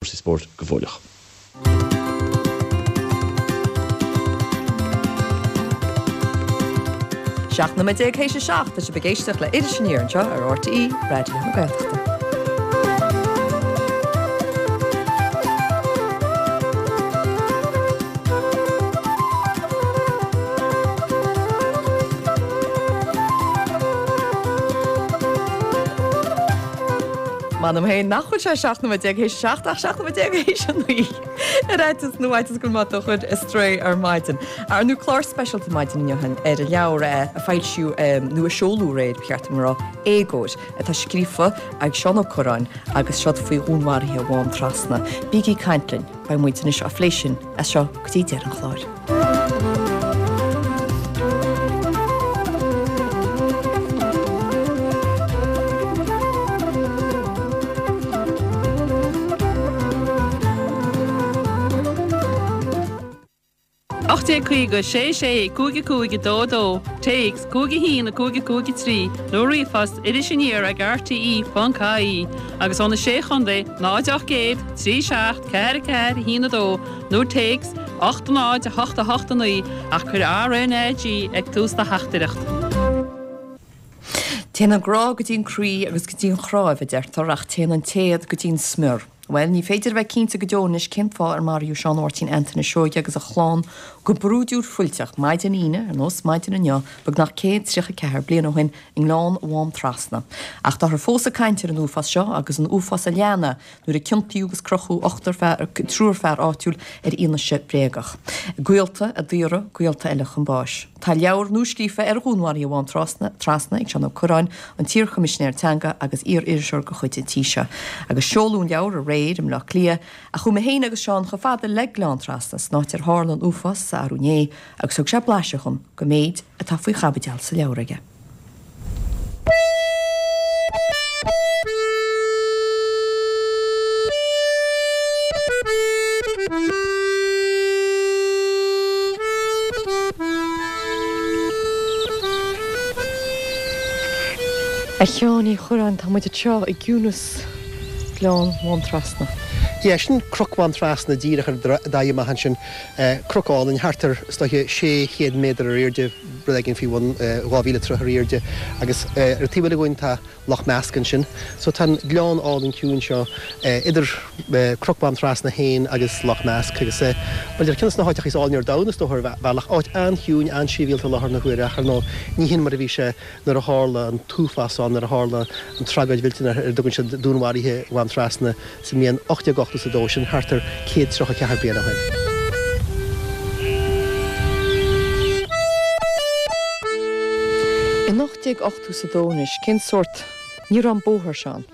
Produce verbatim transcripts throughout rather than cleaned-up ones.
Cúrsaí spóirt go fóilleach. Seacht nóiméad déag théis a seacht, tá sibh ag éisteacht le Iris Aniar anseo ar RTÉ Raidió na Gaeltachta. M'anam féin nach bhfuil sé seacht nóiméad déag théis a seacht ach seacht nóiméad déag théis a naoi. Ar fhaitíos nó fhaitíos go bhfuil mé á do chur ar strae ar maidin. Ar ndóigh clár speisialta maidin inniu ar an leabhar a foilsíodh nó a seoladh aréir, ba cheart dom a rá, Éagóir, atá scríofa ag Seán Ó Cuirreáin agus seod faoi dhúnmharuithe Mhám Trasna. Bígí ag caint linn, beidh muid anois á phlé sin as seo go dtí deireadh an chláir. Ocht déag caoga, sé sé, cúig a cúig a dó a dó, téacs, cúig a haon a cúig a cúig a trí, nó ríomhphost irisaniar ag rte ponc ie agus ó na Sé Chontae, náid ocht gcéad, trí seacht, ceathair a ceathair, a haon a dó, nó téacs, ocht náid a hocht a hocht a naoi, ach cuir RNAG ag tús do theachtaireacht. Téann an grá go dtí an croí agus go dtí an chnáimh, a deirtear, ach téann an téad go dtí an smior. Bhuel, ní féidir a bheith cinnte go deo anois cén fáth ar maraíodh Seán Mháirtín Antaine Seoige agus a chlann go brúidiúil fuilteach maidin Aoine, ar nós maidin inniu, beagnach céad tríocha ceathair bliain ó shin i nGleann Mhám Trasna. Ach táthar fós ag caint ar an uafás seo agus an uafás a lean é nuair a ciontaíodh agus crochadh ochtar fear, triúr fear áitiúil ar fhianaise bréagach. Gaolta a daoradh gaolta eile chun báis. Tá leabhar nua scríofa ar dhúnmharuithe Mhám Trasna ag Seán Ó Cuirreáin, an t-iarChoimisinéir Teanga agus iar-iriseoir de chuid an tí seo. Agus seoladh an leabhar aréir i mBleá Cliath, ach chuaigh mé féin agus Seán chomh fada le Gleann Trasna san áit ar tharla an uafás arú inné agus thug sé blaiseadh dhom den méid atá faoi chaibideal sa leabhar aige. A Sheáin Uí Chuirreáin, tá muid anseo i gciúnas Ghleann Mhám Trasna. Yeah, sin Cnoc Mhám Trasna díreach ar d'aghaidh amach ansin. Cnoc álainn, thart ar, is dóiche, sé chéad méadar ar airde, rud éigin faoi bhun dhá mhíle troith ar airde. Agus ar an taobh eile dhúinn tá Loch Measc ansin. So tá an gleann álainn ciúin seo idir Cnoc Mhám Trasna féin agus Loch Measc agus, bhuel, ar ceann de na háiteacha is áilne ar domhan is dócha ar bhealach. Áit an-chiúin, an-sibhialta i láthair na huaire ach ar ndóigh ní hin mar a bhí sé nuair a tharla an t-uafás ann, nuair a tharla an tragóid mhillteanach ar a dtugann siad Dúnmharuithe Mhám Trasna sa mbliain ocht déag ochtó is a dó, sin thart ar céad tríocha ceathair bliain ó shin. In ocht déag ochtó is a dó anois, cén sórt, ní raibh an bóthar seo ann?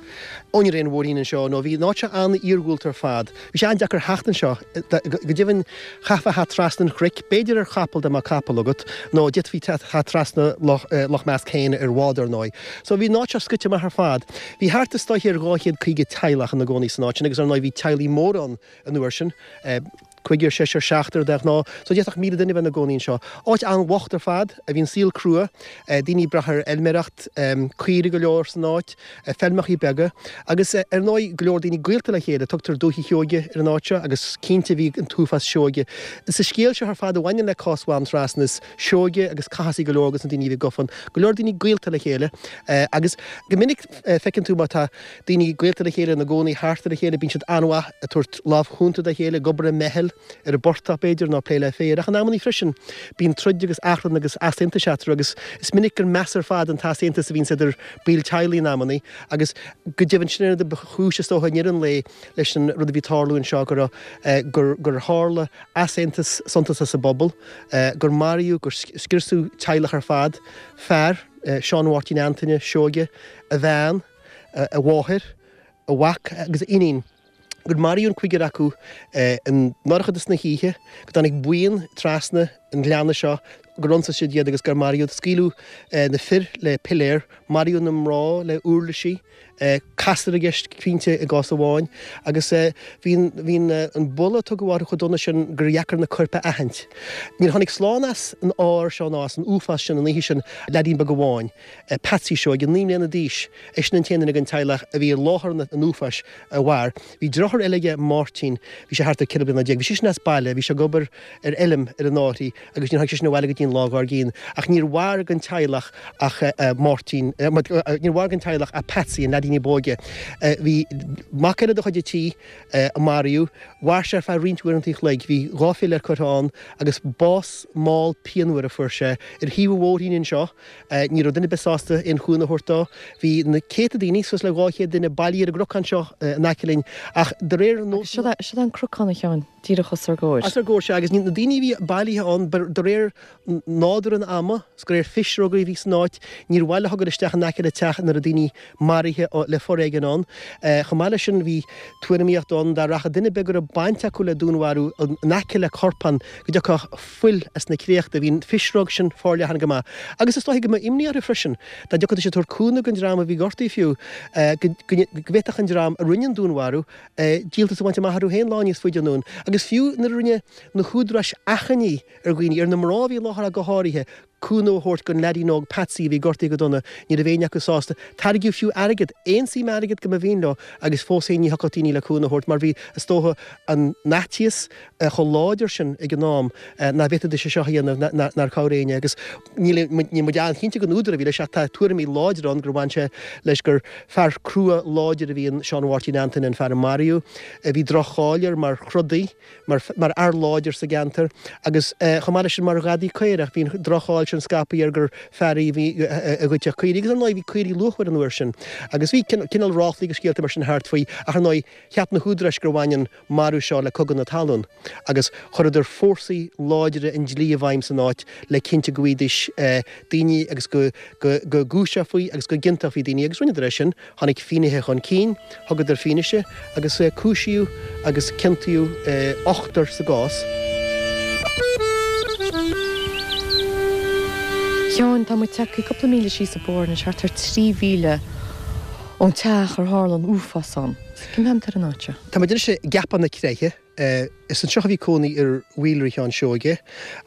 Ó ní raibh aon bhóithrín anseo, nó bhí an áit seo an-iargúlta ar fad. Bhí sé an-deacair theacht anseo. Go deimhin, chaithfeá theacht trasna an chnoic, b'fhéidir ar chapall dá mbeadh capall agat, nó d'fhéadfaí theacht trasna Loch Measc féin ar bhád, ar ndóigh. So bhí an áit seo scoite amach ar fad. Bhí thart is dóiche ar dhá chéad caoga teaghlach ina gcónaí san áit sin agus ar ndóigh bhí teaghlaigh móra ann an uair sin. cúigear, seisear, seachtar de ghnáth, so d'fhéadfadh míle duine a bheith ina gcónaí anseo. Áit an-bhocht ar fad, a bhí an saol crua, daoine ag brath ar fheilméireacht, caoirigh go leor san áit, feilmeachaí beaga, agus ar ndóigh go leor daoine gaolta le chéile. Tugtar Dúiche Sheoige ar an áit seo agus cinnte bhí an t-uafás Seoige sa scéal seo ar fad a bhaineann le cás Mhám Trasna. Is Seoige agus Cathasaigh go leor de na daoine a bhí gafa ann, go leor daoine gaolta le chéile agus go minic feiceann tú má tá daoine gaolta le chéile ina gcónaí thart ar a chéile, bíonn siad an-mhaith ag tabhairt lámh chúnta dá chéile, ag obair i meitheal ar an bportach, b'fhéidir, nó ag plé le féar. Ach in amannaí freisin, bíonn troid agus achrann agus easaontais eatarthu agus is minic gur measa ar fad an t-easaontas a bhíonns idir baill teaghlaigh in amannaí agus go deimhin sin an rud ba chúis, is dócha, i ndeireadh an lae leis an rud a bhí ag tarlú anseo, go raibh, gur, gur tharla easaontas suntasach sa bpobal, gur maraíodh, gur scriosadh teaghlach ar fad, fear, Seán Mháirtín Antaine Seoige, a bhean, a mháthair, a mhac agus a iníon, gur maraíodh an cúigear acu i ndorchadas na hoíche, go dtáinig buíon trasna an ghleanna seo, gur ionsaigh siad iad agus gur maraíodh. Scaoileadh na fir le piléar, maraíodh na mná le uirlisí, Castar i gceist cinnte i gcás amháin agus bhí an buille a tugadh orthu chomh dona sin gur dheacair na coirp a aithint. Níor tháinig slán as an ár seo ná as an uafás sin an oíche sin leaidín beag amháin, Patsy Seoige, naoi mbliana d'aois, eisean an t-aon duine den teaghlach a bhí i láthair an uafáis a mhair. Bhí deartháir eile aige, Máirtín, bhí sé thart ar ceithre bliana déag. Bhí seisean as baile, bhí sé ag obair ar fheilm ar an Fhairche agus níor tháinig seisean abhaile go dtí an lá dár gcionn. Ach níor mhair den teaghlach ach Máirtín, níor mhair den teaghlach ach Patsy, an leaidín ní b'óige. Bhí mac eile de chuid an tí a maraíodh. Mhair sé ar feadh roinnt uaireanta an chloig. Bhí dhá philéar curtha ann agus bás mall pianmhar a fuair sé ar thaobh an bhóithrín anseo. Ní raibh duine ar bith sásta aon chúnamh a thabhairt dó. Bhí na céadta daoine, suas le dhá chéad duine, bailithe ar an gcnocán seo in aice linn ach de réir Agus seo é an cnocán, a Sheáin, díreach os ár gcomhair. Os ár gcomhair, sea, agus na daoine a bhí bailithe ann, de réir nádúr an ama, is de réir pisreoga a bhí san áit, níor mhaith leo dul isteach in aice le teach ina raibh daoine maraithe le foréigean ann. Chomh maith leis sin, bhí tuairimíocht ann dá rachadh duine ar bith go raibh baint acu le dúnmharú in aice le corpán go dtiocfadh fuil as na créachta. Bhí an phisreog sin forleathan go maith. Agus is dóiche go mbeadh imní orthu freisin dá dtiocfaidís ag tabhairt cúnamh don dream a bhí gortaithe fiú, go bhféadfadh an dream a rinne an dúnmharú díoltas a bhaint amach orthu féin lá níos faide anonn. Agus fiú nuair a rinne na húdaráis achainí ar dhaoine, ar na mná a bhí i láthair ach go háirithe, cúnamh a thabhairt don leaidín óg Patsy a bhí gortaithe go dona, ní raibh éinne acu sásta. Tairgeadh fiú airgead, aon suim airgid go mba mhian leo agus fós féin ní thiocfadh daoine le cúnamh a thabhairt mar bhí, is dócha, an faitíos chomh láidir sin ag an am nach bhféadfaidís é seo a dhéanamh, nár chabhraigh éinne. Agus níl muid an-chinnte den údar a bhí leis ach tá tuairimí láidre ann gur bhain sé leis gur fear crua láidir a bhí in Seán Mháirtín Antaine, an fear a maraíodh. Bhí droch-cháil air mar throdaí, mar fhear láidir sa gceantar agus chomh maith leis sin mar ghadaí caorach. Bhí an droch-cháil sin scaipthe air gur fear é a bhí a ghoidfeadh caoirigh agus ar ndóigh bhí caoirigh luachmhar an uair sin agus bhí cineál ráflaí agus scéalta mar sin thart faoi ach ar ndóigh cheap na húdaráis gur bhain an marú seo le cogadh na talún agus chuireadar fórsaí láidre an dlí i bhfeidhm san áit le cinnte go bhfaighidís daoine agus go gcúiseofaí agus go gciontófaí daoine agus rinneadar é sin. Tháinig finnéithe chun cinn, thugadar fianaise agus cúisíodh agus ciontaíodh ochtar sa gcás. A Sheáin, tá muid tagtha cúpla míle síos an bóthar anois, thart ar trí mhíle ón teach ar tharla an uafás ann. Cén fáth a bhfuil muid ar an áit seo? Tá muid anois i gCeapach na Creiche. Is anseo a bhí cónaí ar Mhaolra Sheáin Seoige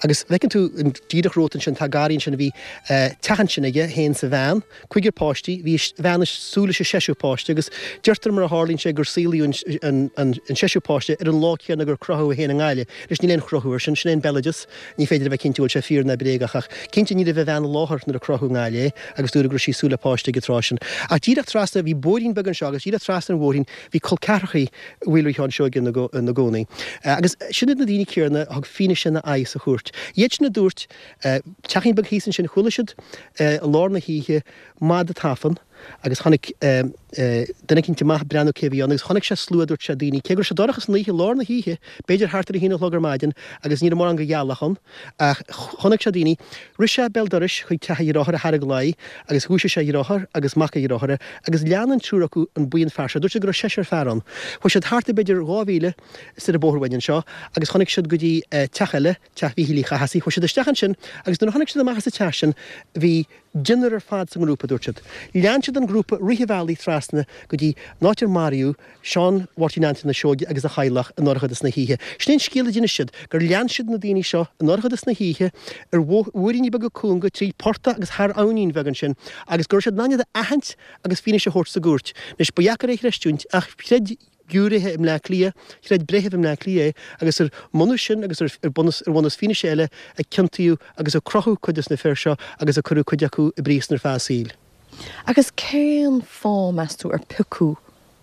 agus feiceann tú díreach romhat ansin, tá garraí ansin, bhí teach ansin aige féin is a bhean, cúigear páistí, bhí a bhean ag súil leis an seisear páiste agus deirtear mar a tharlaíonn sé gur saolaíodh an seisear páiste ar an lá céanna gur crochadh é féin i nGaillimh. Anois níl aon chruthú air sin, sin é an béaloideas, ní féidir a bheith cinnte an bhfuil sé fíor ná bréagach ach cinnte ní raibh a bhean i láthair nuair a crochadh i nGaillimh é agus dúradh go raibh sí ag súil le páiste ag an tráth sin. Ach díreach trasna, bhí bóithrín beag anseo agus díreach trasna an bhóithrín bhí col ceathrachaí Mhaolra Sheáin Seoige ina gcónaí. Agus sin iad na daoine céanna a thug fianaise ina aghaidh sa chúirt. Iad sin a dúirt, teachín beag thíos ansin, chuala siad i lár na hoíche mada ag tafann agus tháinig duine eicínt amach ag breathnú cé a bhí ann agus chonaic sé slua, dúirt sé, daoine, cé go raibh sé dorcha san oíche, lár na hoíche, b'fhéidir thart ar a haon a chlog ar maidin agus ní raibh mórán de ghealach ann ach chonaic sé daoine. Rith sé béal dorais chuig teach a dhearthára a Thaidhg Laoi agus dhúisigh sé a dheartháir agus mac a dhearthára agus lean an triúr acu an buíon fear seo. Dúirt siad go raibh seisear fear ann. Chuaigh siad thart b'fhéidir dhá mhíle soir an bóthar uainn anseo agus chonaic siad go dtí teach eile, teach Mhíchíl Uí Chathasaigh. Chuaigh siad isteach ansin agus nuair a tháinig siad amach as an teach sin bhí deichniúr ar fad sa ngrúpa, dúirt siad. Lean siad an grúpa rith an bhealaigh trasna go dtí an áit ar maraíodh Seán Mháirtín Antaine Seoige agus a theaghlach i ndorchadas na hoíche. Sin é an scéal a d'inis siad, gur lean siad na daoine seo i ndorchadas na hoíche ar bhóithríní beaga cúnga tríd portach agus thar abhainín bheag ansin agus go raibh siad in ann iad a aithint agus fianaise a thabhairt sa gcúirt. Anois, ba dheacair é a chreistiúint ach chreid giúiréithe i mBleá Cliath, chreid breitheamh i mBleá Cliath é agus ar mbunús sin agus ar bhunús fianaise eile a ciontaíodh agus a crochadh cuid des na fir seo agus a cuireadh cuid acu i bpríosún ar feadh a saoil. Agus cén fáth, meas tú, ar piocadh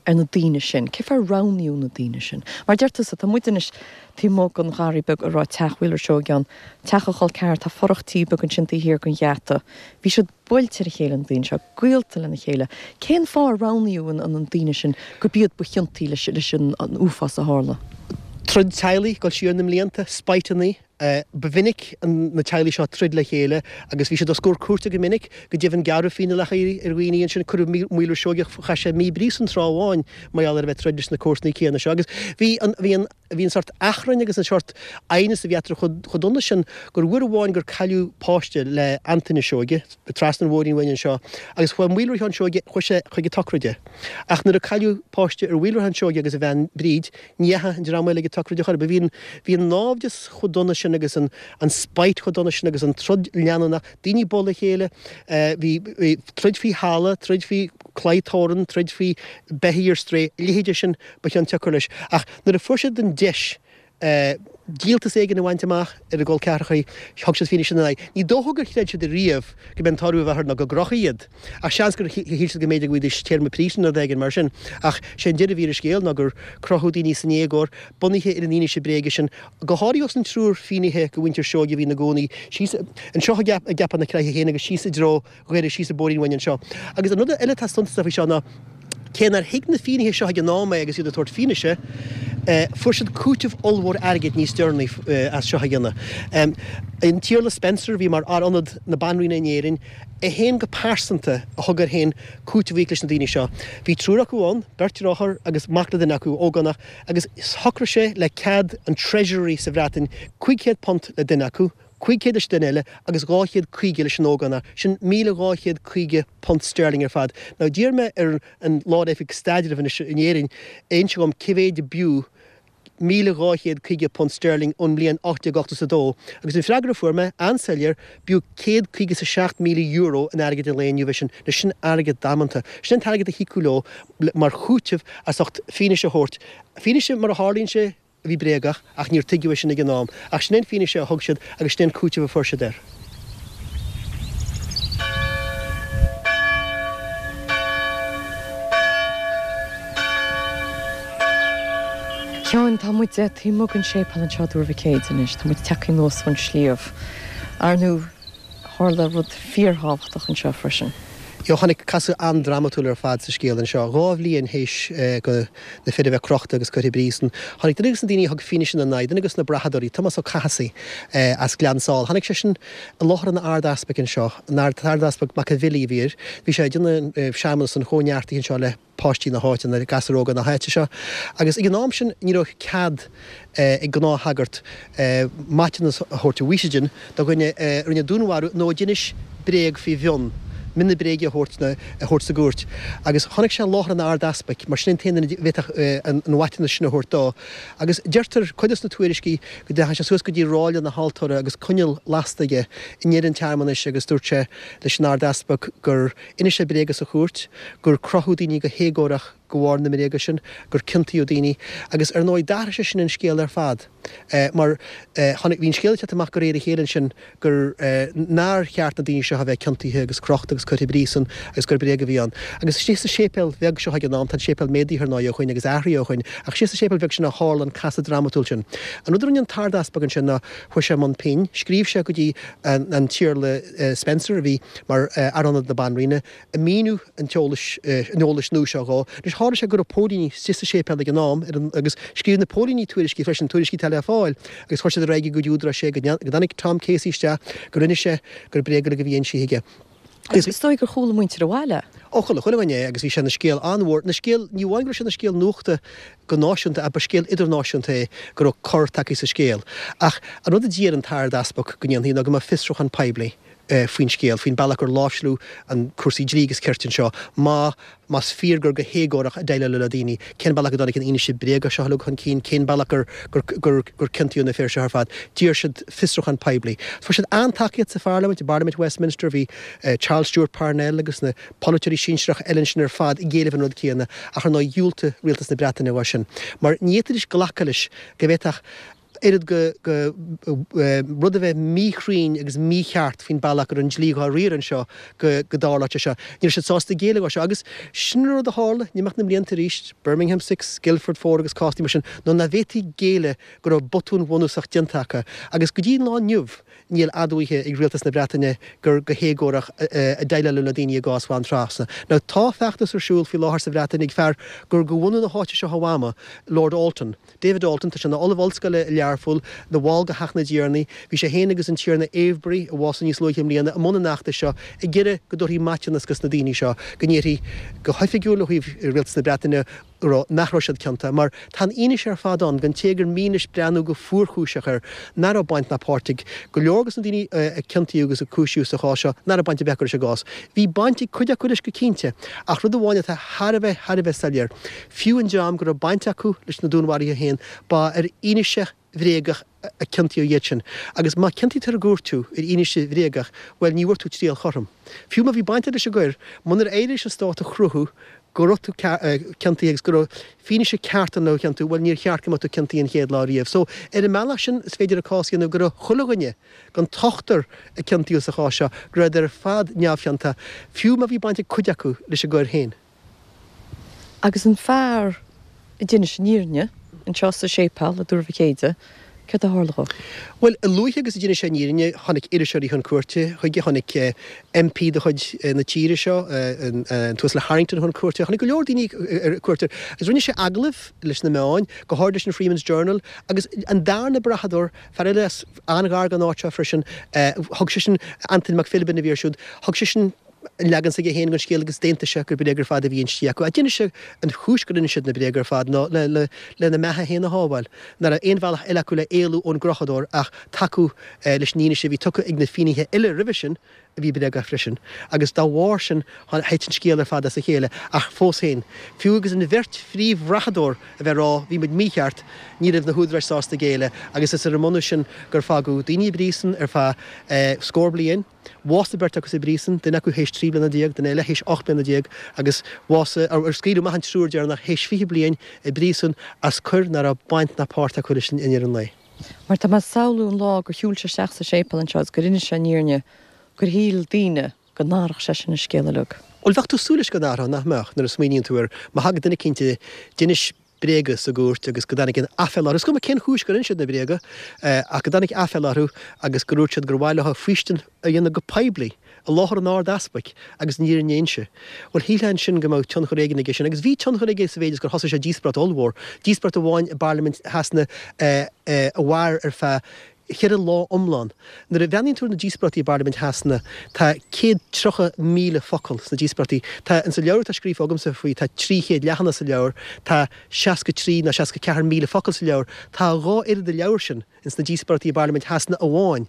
ar na daoine sin? Cén fáth ar roghnaíodh na daoine sin? Mar deir tusa, tá muid anois taobh amuigh den gharraí beag a raibh teach Mhaolra Seoige ann, teach a chol ceathar, tá fothrach tí beag ansin taobh thiar den gheata. Bhí siad buailte ar a chéile, na daoine seo, gaolta lena chéile. Cén fáth ar roghnaíodh an daoine sin gurb iad ba chiontaí leis an uafás a tharla? Troid teaghlaigh, ag dul siar na mblianta, spiteanna, Ba mhinic na teaghlaigh seo ag troid le chéile agus bhí siad os comhair cúirte go minic, go deimhin gearradh fíneálacha ar dhaoine ansin, cuireadh Maolra Seoigeach, chaith sé mí i bpríosún tráth amháin mar gheall ar a bheith ag troid leis na comharsanaí céanna seo agus bhí an, bhí an, bhí an sórt achrainn agus an sórt aighneas a bhí eatarthu chomh, chomh dona sin gur uair amháin gur cailleadh páiste le Antaine Seoige, trasna an bhóithrín uainn anseo agus chuaigh Maolra Sheáin Seoige, chuaigh sé chuig an tsochraid. Ach nuair a cailleadh páiste ar Mhaolra Sheáin Seoige agus a bhean Bríd, ní dheachaigh an dream eile ag an tsochraid ar chor ar bith. Bhí an, bhí an naimhdeas chomh dona sin agus an, an spite chomh dona sin agus an troid leanúnach, daoine ag bualadh a chéile, bhí, bhí troid faoi thalamh, troid faoi claí torrainn, troid faoi beithígh ar strae, a leithéide sin ba chionsiocair leis. Ach nuair a fuair siad an deis díoltas éigin a bhaint amach ar a gcol ceathracha, thug siad fianaise ina n-aghaidh. Ní dócha gur chreid siad ariamh go mb'é an toradh a bheadh air ná go gcrochfaí iad, ach seans gur shíl siad go mb'fhéidir go bhfaighidís téarma príosúin nó rud éigin mar sin. Ach sé an deireadh a bhí ar an scéal ná gur crochadh daoine san éagóir, bunaithe ar an fhianaise bréige sin, go háirithe ós an triúr finnéithe de mhuintir Seoige a bhí ina gcónaí síos anseo i gCeapach na Creaiche féin agus síos i dtreo Dhoire, síos an bóithrín uainn anseo. Agus an rud eile atá suntasach faoi seo ná, Cé nár thuig na finnéithe seo ag an am é agus iad ag tabhairt fianaise, fuair siad cúiteamh ollmhór airgid níos deireanaí as seo a dhéanamh. An tIarla Spencer, a bhí mar Fhear Ionaid na Banríona in Éirinn, é féin go pearsanta a thug air féin cúiteamh a íoc leis na daoine seo. Bhí triúr acu ann, beirt deartháir agus mac le duine acu, ógánach, agus shocraigh sé le cead an Treasury sa Bhreatain cúig chéad punt le duine acu, cúig chéad leis an duine eile agus dhá chéad caoga leis an ógánach, sin míle dhá chéad caoga punt sterling ar fad. Now d'iarr mé ar an Lár-Oifig Staidrimh anois in Éirinn inse dhom cé mhéid a b'fhiú míle dhá chéad caoga punt sterling ón mbliain ocht déag ochtó is a dó agus an freagra a fuair mé, an-soiléir, b'fhiú céad caoga is a seacht míle euro in airgead an lae inniu é sin. Now sin airgead damanta. Sin an t-airgead a híocadh leo mar chúiteamh as ucht fianaise a thabhairt. Fianaise mar a tharlaíonn sé, a bhí bréagach, ach níor tuigeadh é sin ag an am. Ach sin é an fianaise a thug siad agus sin é an cúiteamh a fuair siad air. A Sheáin, tá muid taobh amuigh den séipéal anseo i dTuar Mhic Éide anois. Tá muid tagtha anuas ón sliabh. Ar ndóigh, tharla rud fíorthábhachtach anseo freisin. Yo, tháinig casadh an-drámatúil ar fad sa scéal anseo. Dhá bhliain théis do na fir a bheith crochta agus curtha i bpríosún, tháinig duine de na daoine a thug fianaise ina n-aghaidh, duine de na brathadóirí, Tomás Ó Cathasaigh as Gleann Sáile. Tháinig seisean i láthair an Ard-Easpaig anseo, an tArd-Easpag Mac an Bhilí a bhí air. Bhí sé ag déanamh searmanas an chóineartaithe anseo le páistí na háite, na gasúir óga na háite seo. Agus ag an am sin ní raibh cead ag gnáthshagart maiteanas a thabhairt, a mhaoistin, do dhuine a rinne dúnmharú nó a d'inis bréag faoi mhionn, mionn na bréige a thabhairt a thabhairt sa gcúirt. Agus tháinig sé i láthair an Ard-Easpaig, mar sin é an t-aon duine a bhféadfadh an maiteanas sin a thabhairt dó. Agus deirtear, cuid de na tuairiscí, go ndeachaigh sé suas go dtí ráille na haltóra agus coinneal lasta aige i ndeireadh an tsearmanais agus dúirt sé leis an Ard-Easpag gur inis sé bréaga sa chúirt, gur crochadh daoine go héagórach de bharr na mbréaga sin, gur ciontaíodh daoine. Agus ar ndóigh d'athraigh sé sin an scéal ar fad mar tháinig, bhí an scéal ag teacht amach de réir a chéile ansin gur, nár cheart na daoine seo a bheith ciontaithe agus crochta agus curtha i bpríosún agus gur bréag a bhí ann. Agus istigh sa séipéal bheag seo ag an am, tá an séipéal méadaithe ar ndóigh ó shoin agus athraithe ó shoin, ach istigh sa séipéal bheag sin a tharla an casadh drámatúil sin. An rud a rinne an tArd-Easpag ansin ná chuaigh sé i mbun pinn, scríobh sé go dtí an tIarla Spencer a bhí mar Fhear Ionaid na Banríona, ag míniú an t-eolais, an eolais nua seo dhó. Anois tharla sé go raibh póilíní istigh sa séipéal ag an am ar an, agus scríobh na póilíní tuairiscí freisin, tuairiscí atá le fáil, agus chuir siad ar aghaidh go dtí údaráis é go dtáinig Tom Casey isteach, gur inis sé gur bréaga uilig a bhí insithe aige. Agus is dóigh gur chuala muintir an bhaile. Ó chuala chuile dhuine é agus bhí sé ina scéal an-mhór, ina scéal, ní amháin go raibh sé ina scéal nuachta go náisiúnta ach ba scéal idirnáisiúnta é go raibh cor tagtha sa scéal. Ach an rud a d'iarr an tArd-Easpag go ndéanfaí ná go mbeadh fiosrúchán poiblí faoin scéal, faoin bealach gur láimhseáladh an cúrsaí dlí agus cirt anseo, má más fíor gur go héagórach a déileáladh le daoine, cén bealach a dtáinig an fhianaise bréagach seo uilig chun cinn, cén bealach gur gur gur ciontaíodh na fir seo ar fad. D'iarr siad fiosrúchán poiblí. Fuair siad an-tacaíocht sa pharlaimint, i bParlaimint Westminster, bhí Charles Stewart Parnell agus na polaiteoirí sinsearacha eile ansin ar fad ag éileamh an rud céanna, ach ar ndóigh dhiúltaigh rialtas na Breataine dhó sin. Mar ní fhéadfaidís glacadh leis go bhféadfadh oiread go rud a bheith míchruinn agus mícheart faoin bealach go raibh an dlí dhá riar anseo go dtarlódh sé seo. Ní raibh siad sásta géilleadh dhó seo agus sin an rud a tharla in imeacht na mblianta arís, Birmingham Six, Guildford Four agus cásanna mar sin, ná nach bhféadfaí géilleadh go raibh botún bhunúsach déanta acu agus go dtí an lá inniu níl admhaithe ag rialtas na Breataine gur go héagórach a déileáladh le daoine i gcás Mhaigh Trasna. Now tá feachtas ar siúl faoi láthair sa Bhreatain ag fear gur de bhunadh na háite seo a mhama, Lord Alton, David Alton, tá sé ina ollamh ollscoile i Learpholl, Learpholl, ina bhall de Theach na dTiarnaí. Bhí sé féin agus an Tiarna Avebury, a bhásaigh níos luaithe i mbliana, i mbun an fheachtais seo ag iarraidh go dtabharfaí maiteanas dos na daoine seo, go ndéarfaí go hoifigiúil ó thaobh Rialtas na Breataine go raibh, nach raibh siad ciontach. Mar tá an fhianaise ar fad ann, don té gur mian leis breathnú go fuarchúiseach air, nach raibh baint ná páirt ag go leor dos na daoine a ciontaíodh agus a cúisíodh sa chás seo, nach raibh baint ar bith acu leis an gcás. Bhí baint ag cuid acu leis go cinnte, ach rud amháin atá thar a bheith, thar a bheith soiléir, fiú an dream go raibh baint acu leis na dúnmharuithe féin, ba ar fhianaise bhréagach a ciontaíodh iad sin. Agus má ciontaítear i gcúirt thú ar fhianaise bhréagach, bhuel, ní bhfuair tú triail chothrom. Fiú má bhí baint agat leis an gcoir, munar éirigh leis an stát a chruthú go raibh tú ciontaithe agus go raibh fianaise ceart ann le thú a chiontú, bhuel, níor cheart go mbeadh tú ciontaithe an chéad lá riamh. So, ar an mbealach sin, is féidir an cás a dhéanamh go raibh chuile dhuine den t-ochtar a ciontaíodh sa chás seo, go rabhadar ar fad neamhchiontach, fiú má bhí baint ag cuid acu leis an gcoir féin. Agus an fear a d'inis an fhírinne anseo sa séipéal i dTuar Mhic Éide, céard a tharla dhó? Bhuel, a luaithe agus a d'inis sé an fhírinne, tháinig iriseoirí chun cuairte chuige, tháinig MP de chuid na tíre seo, an tUasal Harrington chun cuairte, tháinig go leor daoine ar cuairt air. Agus rinne sé agallamh leis na meáin, go háirid leis an Freeman's Journal, agus an darna brathadóir, fear eile as an-ghar don áit seo freisin, thug seisean, Antaine Mac Philibin a bhí air siúd, thug seisean an leagan s'aige féin den scéal agus d'aontaigh sé gur bréaga ar fad a bhí inste acu. Ach d'inis sé an chúis gur inis siad na bréaga ar fad ná le lena mbeatha féin a shábháil. Nach raibh aon bhealach eile acu le éalú ón gcrochadóir ach tacú leis an fhianaise a bhí tugtha ag na finnéithe eile roimhe sin, a bhí bréagach freisin. Agus dá bharr sin thit an scéal ar fad as a chéile. Ach fós féin, fiú agus an bheirt phríomhbhrathadóir a bheith ag rá bhí muid mícheart, ní raibh na húdaráis sásta géilleadh agus is ar an mbunús sin gur fágadh daoine i bpríosún ar feadh scór bliain. Bhásaigh beirt acu sa bpríosún, duine acu théis trí bliana déag, duine eile théis ocht mbliana déag, agus bhásaigh, ar scaoileadh amach an triúr deireanach théis fiche bliain i bpríosún as coir nach raibh baint ná páirt acu leis i ndeireadh an lae. Mar tá mé ag samhlú an lá gur shiúil sé isteach sa séipéal anseo agus gur inis sé an fhírinne, gur shíl daoine go n-athródh seisean an scéal uilig. Bhuel, bheadh tú ag súil leis go n-athródh, nach mbeadh, nuair a smaoiníonn tú air, má thagann duine eicínt a d'inis bréaga sa gcúirt agus go dtáinig an aiféala orthu, is cuma cén chúis gur inis siad na bréaga, ach go dtáinig aiféala orthu agus gur dhúirt siad gur mhaith leo faoistin a dhéanamh go poiblí i láthair an Ard-Easpaig agus an fhírinne a inse. Bhuel, shílfeá ansin go mbeadh tionchar éigin aige sin, agus bhí tionchar aige sa mhéid is gur thosaigh sé díospóireacht ollmhór, díospóireacht amháin i bParlaimint Shasana a mhair ar feadh cheithre lá iomlán. Nuair a bhreathnaíonn tú ar na díospóireachtaí i bParlaimint Shasana, tá céad tríocha míle focal sna díospóireachtaí. Tá, in sa leabhar atá scríofa agamsa faoi, tá trí chéad leathanach sa leabhar, tá seasca trí nó seasca ceathair míle focal sa leabhar. Tá dhá oiread an leabhair sin ins na díospóireachtaí i bParlaimint Shasana amháin.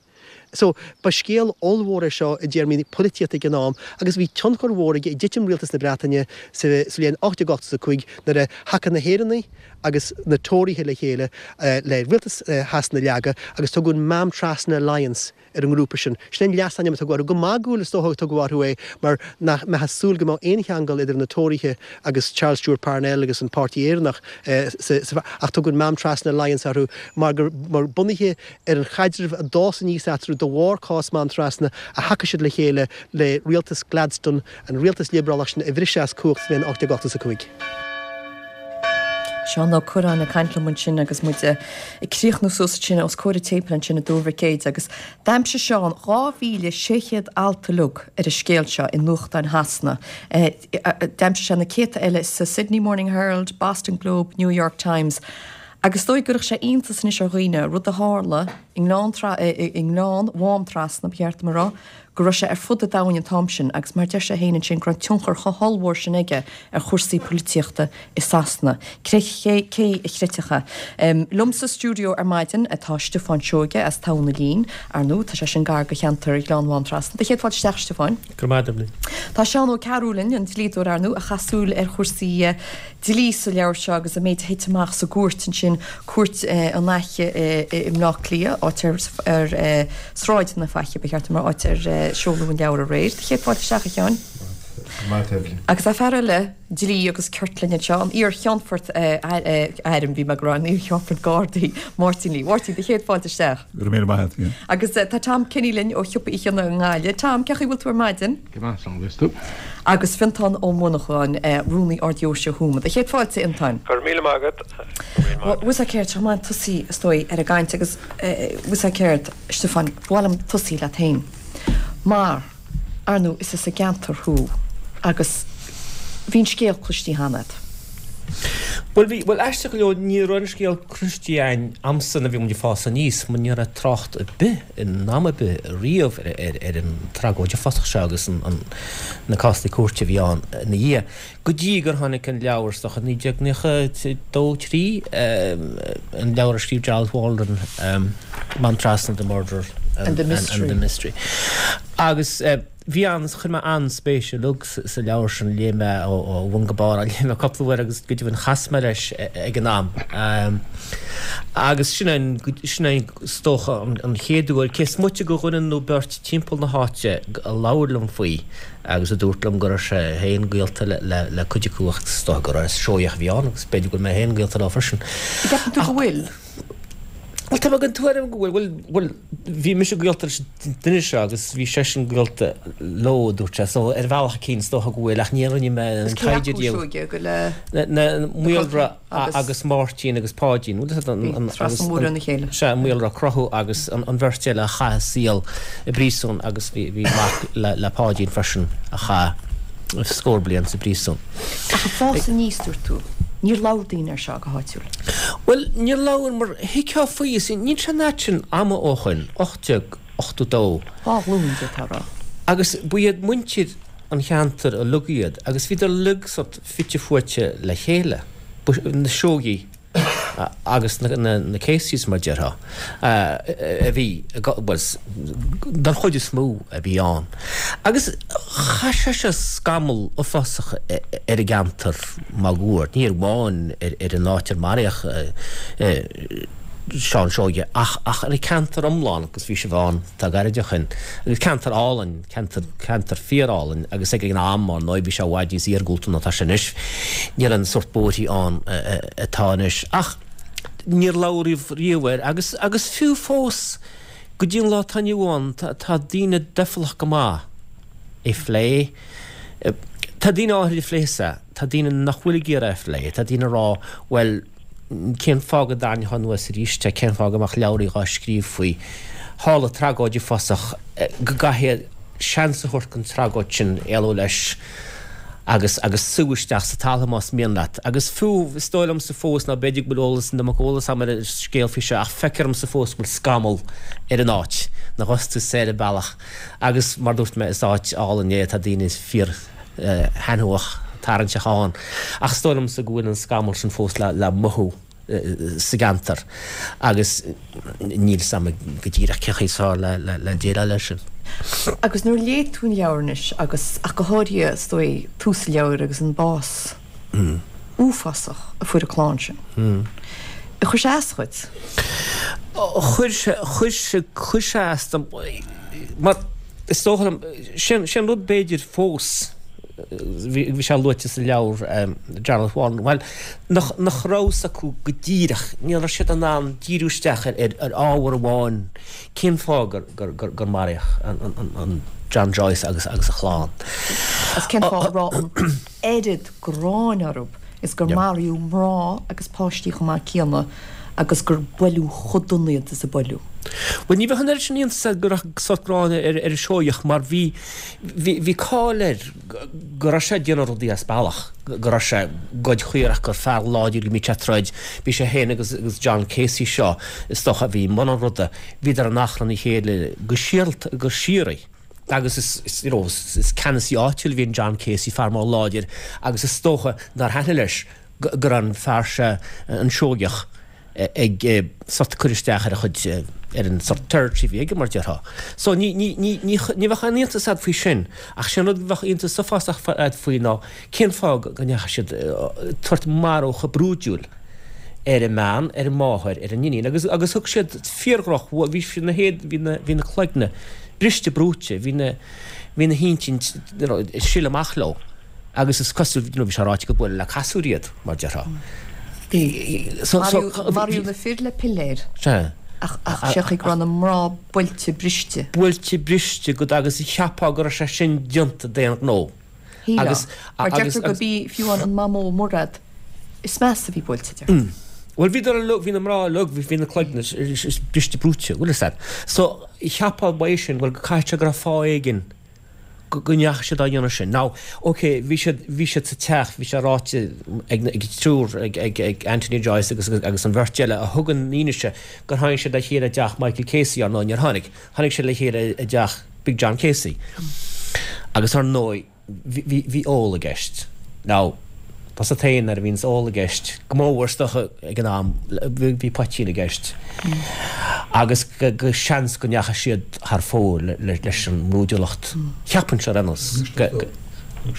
So, ba scéal ollmhór é seo i dtéarmaí polaitíochta ag an am agus bhí tionchar mhór aige i dtitim rialtas na Breataine sa bhliain ocht déag ochtó a cúig nuair a thacaigh na hÉireannaigh agus na Tóraithe le chéile le rialtas Shasana a leagadh agus tugadh an Mám Trasna Alliance ar an ngrúpa sin. Sin é an leasainm a tugadh orthu. Go magúil is dócha a tugadh orthu é mar nach mbeifeá ag súil go mbeadh aon cheangal idir na Tóraithe agus Charles Stewart Parnell agus an Páirtí Éireannach sa ach tugadh an Mám Trasna Alliance orthu mar gur mar bunaithe ar an chaidreamh a d'fhás aníos eatarthu de bharr cás Mám Trasna a thacaigh siad le chéile le rialtas Gladstone, an rialtas liobrálach sin a bhriseadh as cumhacht sa bhliain ocht déag ochtó a cúig. Seán Ó Cuirreáin ag caint liom ansin agus muid ag críochnú suas ansin os comhair an tséipéil ansin i dTuar Mhic Éide agus d'aimsigh Seán dhá mhíle sé chéad alt uilig ar an scéal seo i nuachtáin Shasana. D'aimsigh sé na céadta eile sa Sydney Morning Herald, Boston Globe, New York Times agus is dóigh go gcuirfeadh sé iontas anois ar dhaoine, rud a tharla i nGleann i nGleann Mhám Trasna, ba cheart dom a rá, go raibh sé ar fud an domhain an t-am sin agus mar deir sé féin ansin go raibh an tionchar chomh hollmhór sin aige ar chúrsaí polaitíochta i Sasana. Cé cé a chreidfeadh é? Liom sa stiúideo ar maidin atá Stiofán Seoige as Tamhan na Lín, ar ndóigh tá sé sin gar do cheantar Ghleann Mhám Trasna. Do chéad fáilte isteach, a Stiofáin. Go raibh maith agat, Eibhlín. Tá Seán Ó Cearúil linn, an dlíodóir ar ndóigh, a chaith súil ar chúrsaí dlí sa leabhar seo agus an méid a thit amach sa gcúirt ansin, Cúirt an Fhaiche i mBleá Cliath, áit ar ar Sráid na Faiche, ba cheart dom a rá, áit ar seoladh an leabhar aréir. Do chéad fáilte isteach, a Sheáin. Go raibh maith agat, Eibhlín. Agus tá fear eile dlí agus cirt linn anseo, an iar-Cheannfort Airm, bhí mé ag rá, an iar-Cheannfort Gardaí, Máirtín Lee. Máirtín, do chéad fáilte isteach. Go raibh míle maith agat, yeah. Agus tá Tom Kenny linn ó Shiopa Uí Chionnaith i nGaillimh. Tom, cén chaoi a bhfuil tú ar maidin? Go maith, slán agus tú. Agus Fionntán Ó Monacháin, Rúnaí Ard-Dheoise Thuama. Do chéad fáilte, a Fhionntáin. Go raibh míle maith agat. Go raibh míle maith agat. Bhfuil 's agat céard, seo maith tosaí, is dóigh, ar an gcaint agus bhfuil 's agat céard, a Stiofáin, ba mhaith liom tosaí leat féin. Mar, ar ndóigh, is as an gceantar thú agus bhí an scéal cloistí cheana agat. Bhuel bhí, bhuel aisteach go leor ní raibh an scéal cloiste againn a'msa nuair a bhí muid ag fás aníos mar ní raibh trácht ar bith in am ar bith riamh ar, ar, ar an tragóid uafásach seo agus an, an, na cásanna cúirte a bhí ann ina dhiaidh. Go dtí gur tháinig an leabhar is dócha naoi déag nócha dó, trí, an leabhar a scríobh Gerald Waldron, Maamtrasna, The Murder and, and the and, Mystery. and the Mystery. Agus bhí an, chuir mé an-spéis uilig sa leabhar sin, léigh mé ó bhun go barr, léigh mé cúpla uair agus go deimhin chas mé leis ag an am. Agus sin é, sin é is dócha an chéad uair, cé is moite de dhuine nó beirt timpeall na háite a labhair liom faoi agus a dúirt liom go raibh sé féin gaolta le cuid acu ach is dócha gur Seoigheach a bhí ann agus b'fhéidir go bhfuil mé féin gaolta leo freisin. Ceapann tú go bhfuil? Bhuel, tá mé den tuairim go bhfuil, bhuel, bhuel, bhí mise gaolta leis an duine seo agus bhí seisean gaolta leo, a dúirt sé, so ar bhealach eicínt is dócha go bhfuil, ach ní rinne mé Is an cé taighde acu riamh. Seoige go le Na, na, Maolra agus- agus Máirtín agus Páidín, bhuel, an, an, Bhí trasna mór óna chéile. Sea, Maolra Crothú agus an, an bheirt eile a chaith a saol i bpríosún agus bhí, bhí mac le, le Páidín freisin a chaith scór bliain sa bpríosún. Ach ag fás aníos, dúirt tú, níor labhair daoine air seo go háitiúil. Bhuel, níor labhair mar thuigfeá faoi, is níl sé an fhad sin ama ó shoin, ocht déag ochtó dó. Dhá ghlúin, d'fhéadfá a rá. Agus ba iad muintir an cheantair uilig iad, agus bhíodar uilig sort fite fuaite le chéile, na Seoigí agus na, na, na Caseys mar déarfá, a bhí, bhuel, den chuid is mó a bhí ann. Agus chaith sé seo scamall uafásach ar an gceantar máguaird, ní amháin ar, ar an áit ar maraíodh Seán Seoige, ach, ach ar an ceantar iomlán, agus bhí sibh ann tá gairid ó shin, agus ceantar álainn, ceantar, ceantar fíorálainn, agus ag an am ar ndóigh bhí sé i bhfad níos iargúlta ná tá sé anois, níl an sórt bóithrí ann atá anois. Ach níor labhraíodh riamh air, agus, agus fiú fós go dtí an lá atá inniu ann, tá, tá daoine doicheallach go maith é phlé. Tá daoine áirithe a phléas é, tá daoine nach bhfuil ag iarraidh é a phlé, tá daoine ag rá, bhuel, cén fáth go dtarraingeofá anuas arís é, cén fáth go mbeadh leabhraí dhá scríobh faoi. Tharla tragóid uafásach go gcaithfidh seans a thabhairt don tragóid sin éalú leis agus agus sú isteach sa talamh más mian leat. Agus fiú is dóigh liomsa fós ná b'fhéidir go bhfuil eolas na mbeadh eolas agam ar an scéal faoi seo ach feictear domsa fós go bhfuil scamall ar an áit nuair a bhíos tú soir an bealach. Agus mar dúirt mé is áit álainn é tá daoine fíor thaitneamhach tarraingteach ann. Ach is dóigh liomsa go bhfuil an scamall sin fós le le mothú sa gceantar agus níl 's a'm go díreach cén chaoi is fearr le le le déileáil leis sin. Agus nuair a léigh tú an leabhar anois agus ach go háirithe is dóigh tús an leabhair agus an bás uafásach a fuair an clann sin. Ar chuir sé as dhuit? Chuir sé chuir sé chuir sé as dom mar is dócha liom sin sin rud b'fhéidir fós bhí bhí sé luaite sa leabhar Gerald Waldron, bhuel nach nach raibh 's acu go díreach, ní raibh siad in ann díriú isteach ar ar ar ábhar amháin cén fáth gur gur gur gur maraíodh an an an an John Joyce agus agus a chlann. Agus cén fáth a raibh an oiread gráin orthu is gur maraíodh mná agus páistí chomh maith céanna agus gur buaileadh chomh dona iad is a buaileadh. Bhuel ní bheadh an oiread sin iontas agat go raibh sórt gráin ar ar an Seoigheach mar bhí bhí bhí cáil air go raibh sé ag déanamh rudaí as bealach, go raibh sé ag goid caorach, gur fear láidir go mbíodh sé ag troid. Bhí sé féin agus agus John Casey seo is dócha a bhí i mbun an ruda, bhíodar in achrann a chéile go síoralta go síoraí. Agus is is you know is is ceannasaí áitiúil a bhí in John Casey, fear mór láidir agus is dócha nár thaitnigh leis go go raibh an fear seo an Seoigheach ag sort cur isteach ar a chuid ar an sort territory a bhí aige mar déarfá. So ní ní ní ní ní bheadh aon iontas agat faoi sin ach sin rud a bheadh iontas uafásach agat faoi ná cén fáth go ndeachaigh siad tabhairt marú chomh brúidiúil ar an mbean, ar an máthair, ar an iníon agus agus thug siad fíordhroch bhí siad na héad bhí na bhí na cloigne briste brúite, bhí na bhí na hintinn you know, ag sileadh amach leo agus is cosúil you know, bhí sé ráite go buaileadh le casúr iad mar déarfá. Maraíodh na fir le piléir. Sea. Ach ach sé go raibh na mná buailte briste. Buailte briste go agus cheapfá go raibh sé sin déanta d'aon ghnó. Agus mar deirtear go b'í fiú an mamó Murad is measa a bhí buailte deir. Bhuel bhíodar uilig, bhí na mná uilig, bhí na cloigne briste brúite, bhfuil fhios agat. So cheapfá uaidh sin, bhuel go caithfidh sé go raibh fáth éigin go ndeachaigh siad á dhéanamh sin. Now, ok, bhí siad, bhí siad sa teach, bhí sé ráite ag, ag triúr, ag, ag, ag Anthony Joyce agus, agus an bheirt eile a thug an fhianaise gur tháinig siad le chéile i dteach Michael Casey, ar ndóigh níor tháinig, tháinig siad le chéile i dteach Big John Casey. Agus ar ndóigh, bhí, bhí, bhí ól i gceist. Now, tá a fhios agat féin nuair a bhíonns ól i gceist, go mór is dócha ag an am, bhí poitín i gceist. Agus go seans go ndeachaigh siad thar fóir leis an mbrúidiúlacht. Cheapfainnse ar aon nós. Thug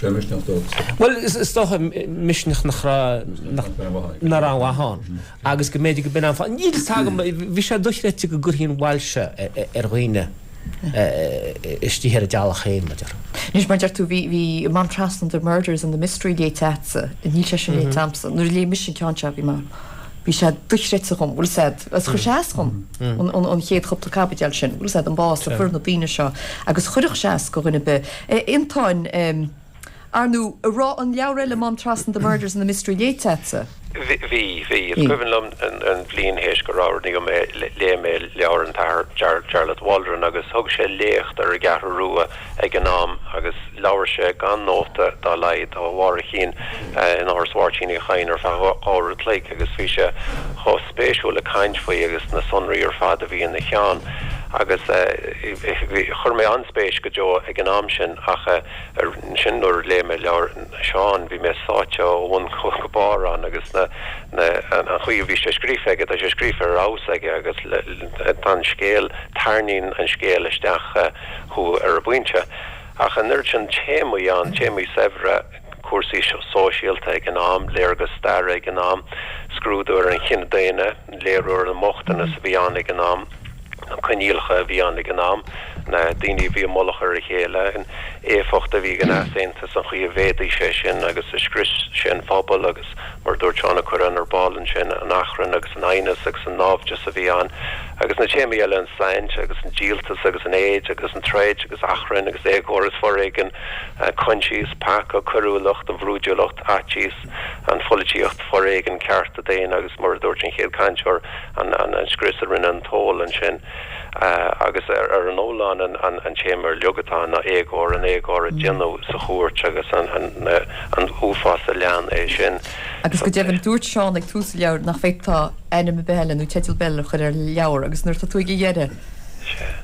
sé misneach dóibh. Bhuel, is dócha misneach nach raibh nach raibh aon mhaith ann. Agus go mb'fhéidir go b'in an fáth. Níl fhios agam, bhí sé dochreidte go gcuirfí an bhail seo ar dhaoine. istigh ar a dteaghlach féin, mar a déarfá. Anois, mar a deir tú, bhí, bhí Maamtrasna The Murders and the Mystery léite agatsa, níl sé sin léite agamsa. Nuair a léigh mise an ceann seo, bhí mé, bhí sé dochreidte dhom, bhfuil 'fhios a'd, agus chuir sé as dhom an, an, an chéad chúpla caibidil sin, bhfuil 'fhios a'd, an bás a fuair na daoine seo, agus chuirfeadh sé as go dhuine ar bith. Antoine, ar ndóigh, an raibh an leabhar eile Maamtrasna The Murders and the Mystery léite agatsa? Bhí, bhí. Is cuimhin liom an bhliain théis gur oirníodh mé, léigh mé leabhar an tAthair Jarlath Waldron agus thug sé léacht ar an gCeathrú Rua ag an am agus labhair sé gan nóta dá laghad ó bharr a chinn in Áras Mháirtín Uí Chadhain ar feadh dhá uair a chloig agus bhí sé chomh spéisiúil ag caint faoi agus na sonraí ar fad a bhí ina cheann agus chuir mé an-spéis go deo ag an am sin ach Ansin nuair a léigh mé leabhar Sheáin bhí mé sáite ó bhun go barr ann agus na, na, an chaoi a bhí sé scríofa aige, tá sé scríofa ar fheabhas aige agus tá an scéal, tarraingíonn an scéal isteach thú ar an bpointe. Ach an oiread sin téamaí ann, téamaí saibhre, cúrsaí sóisialta ag an am, léargas staire ag an am, scrúdú ar an chine daonna, léiriú ar an mbochtanas a bhí ann ag an am, na coinníollacha a bhí ann ag an am, na daoine a bhí i mullach ar a chéile, an éifeacht a bhí ag an easaontas, an chaoi a mhéadaigh sé sin agus a scrios sé an phobal agus, mar a dúirt Seán Ó Cuirreáin ar ball ansin, an achrann agus an aighneas agus an naimhdeas a bhí ann agus na téamaí eile, an tsaint agus an díoltas agus an éad agus an troid agus achrann agus éagóir is foréigean, coinsias, peaca, coiriúlacht, an bhrúidiúlacht, faitíos, an pholaitíocht, foréigean, cearta daonna agus, mar a dúirt an chéad chainteoir, an scrios a rinne an t-ól ansin agus ar an iomlán an téama uilig atá ann ná éagóir, an éagóir a déanadh sa chúirt agus an uafás a lean é sin. Agus go deimhin, dúirt Seán ag tús an leabhair nach bhféadfá ainm ar bith eile nó teideal ar bith eile a chur ar an leabhar agus nuair atá tú ag a dheireadh,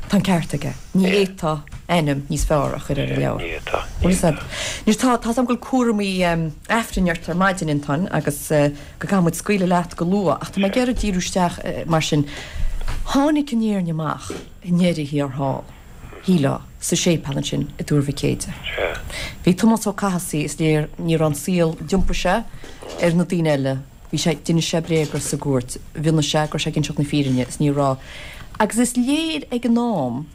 tá an ceart aige, ní fhéadfá ainm níos fearr a chur ar an leabhar. Ní fhéadfá, ní fhéadfá. Anois tá, tá 's agam go bhfuil cúramaí Aifrinn ort ar maidin, Antoine, agus go gcaithfidh muid scaoileadh leat go luath, ach tá mé ag iarraidh díriú isteach mar sin. Tháinig an fhírinne amach i ndeireadh thiar thall, shílfeá, sa séipéal ansin i dTuar Mhic Éide. Bhí Tomás Ó Cathasaigh, is léir, ní raibh an saol, d'iompaigh sé ar na daoine eile, bhí sé, d'inis sé bréaga sa gcúirt, mhionnaigh sé go raibh sé ag inseacht na fírinne is ní raibh. Agus is léir ag an am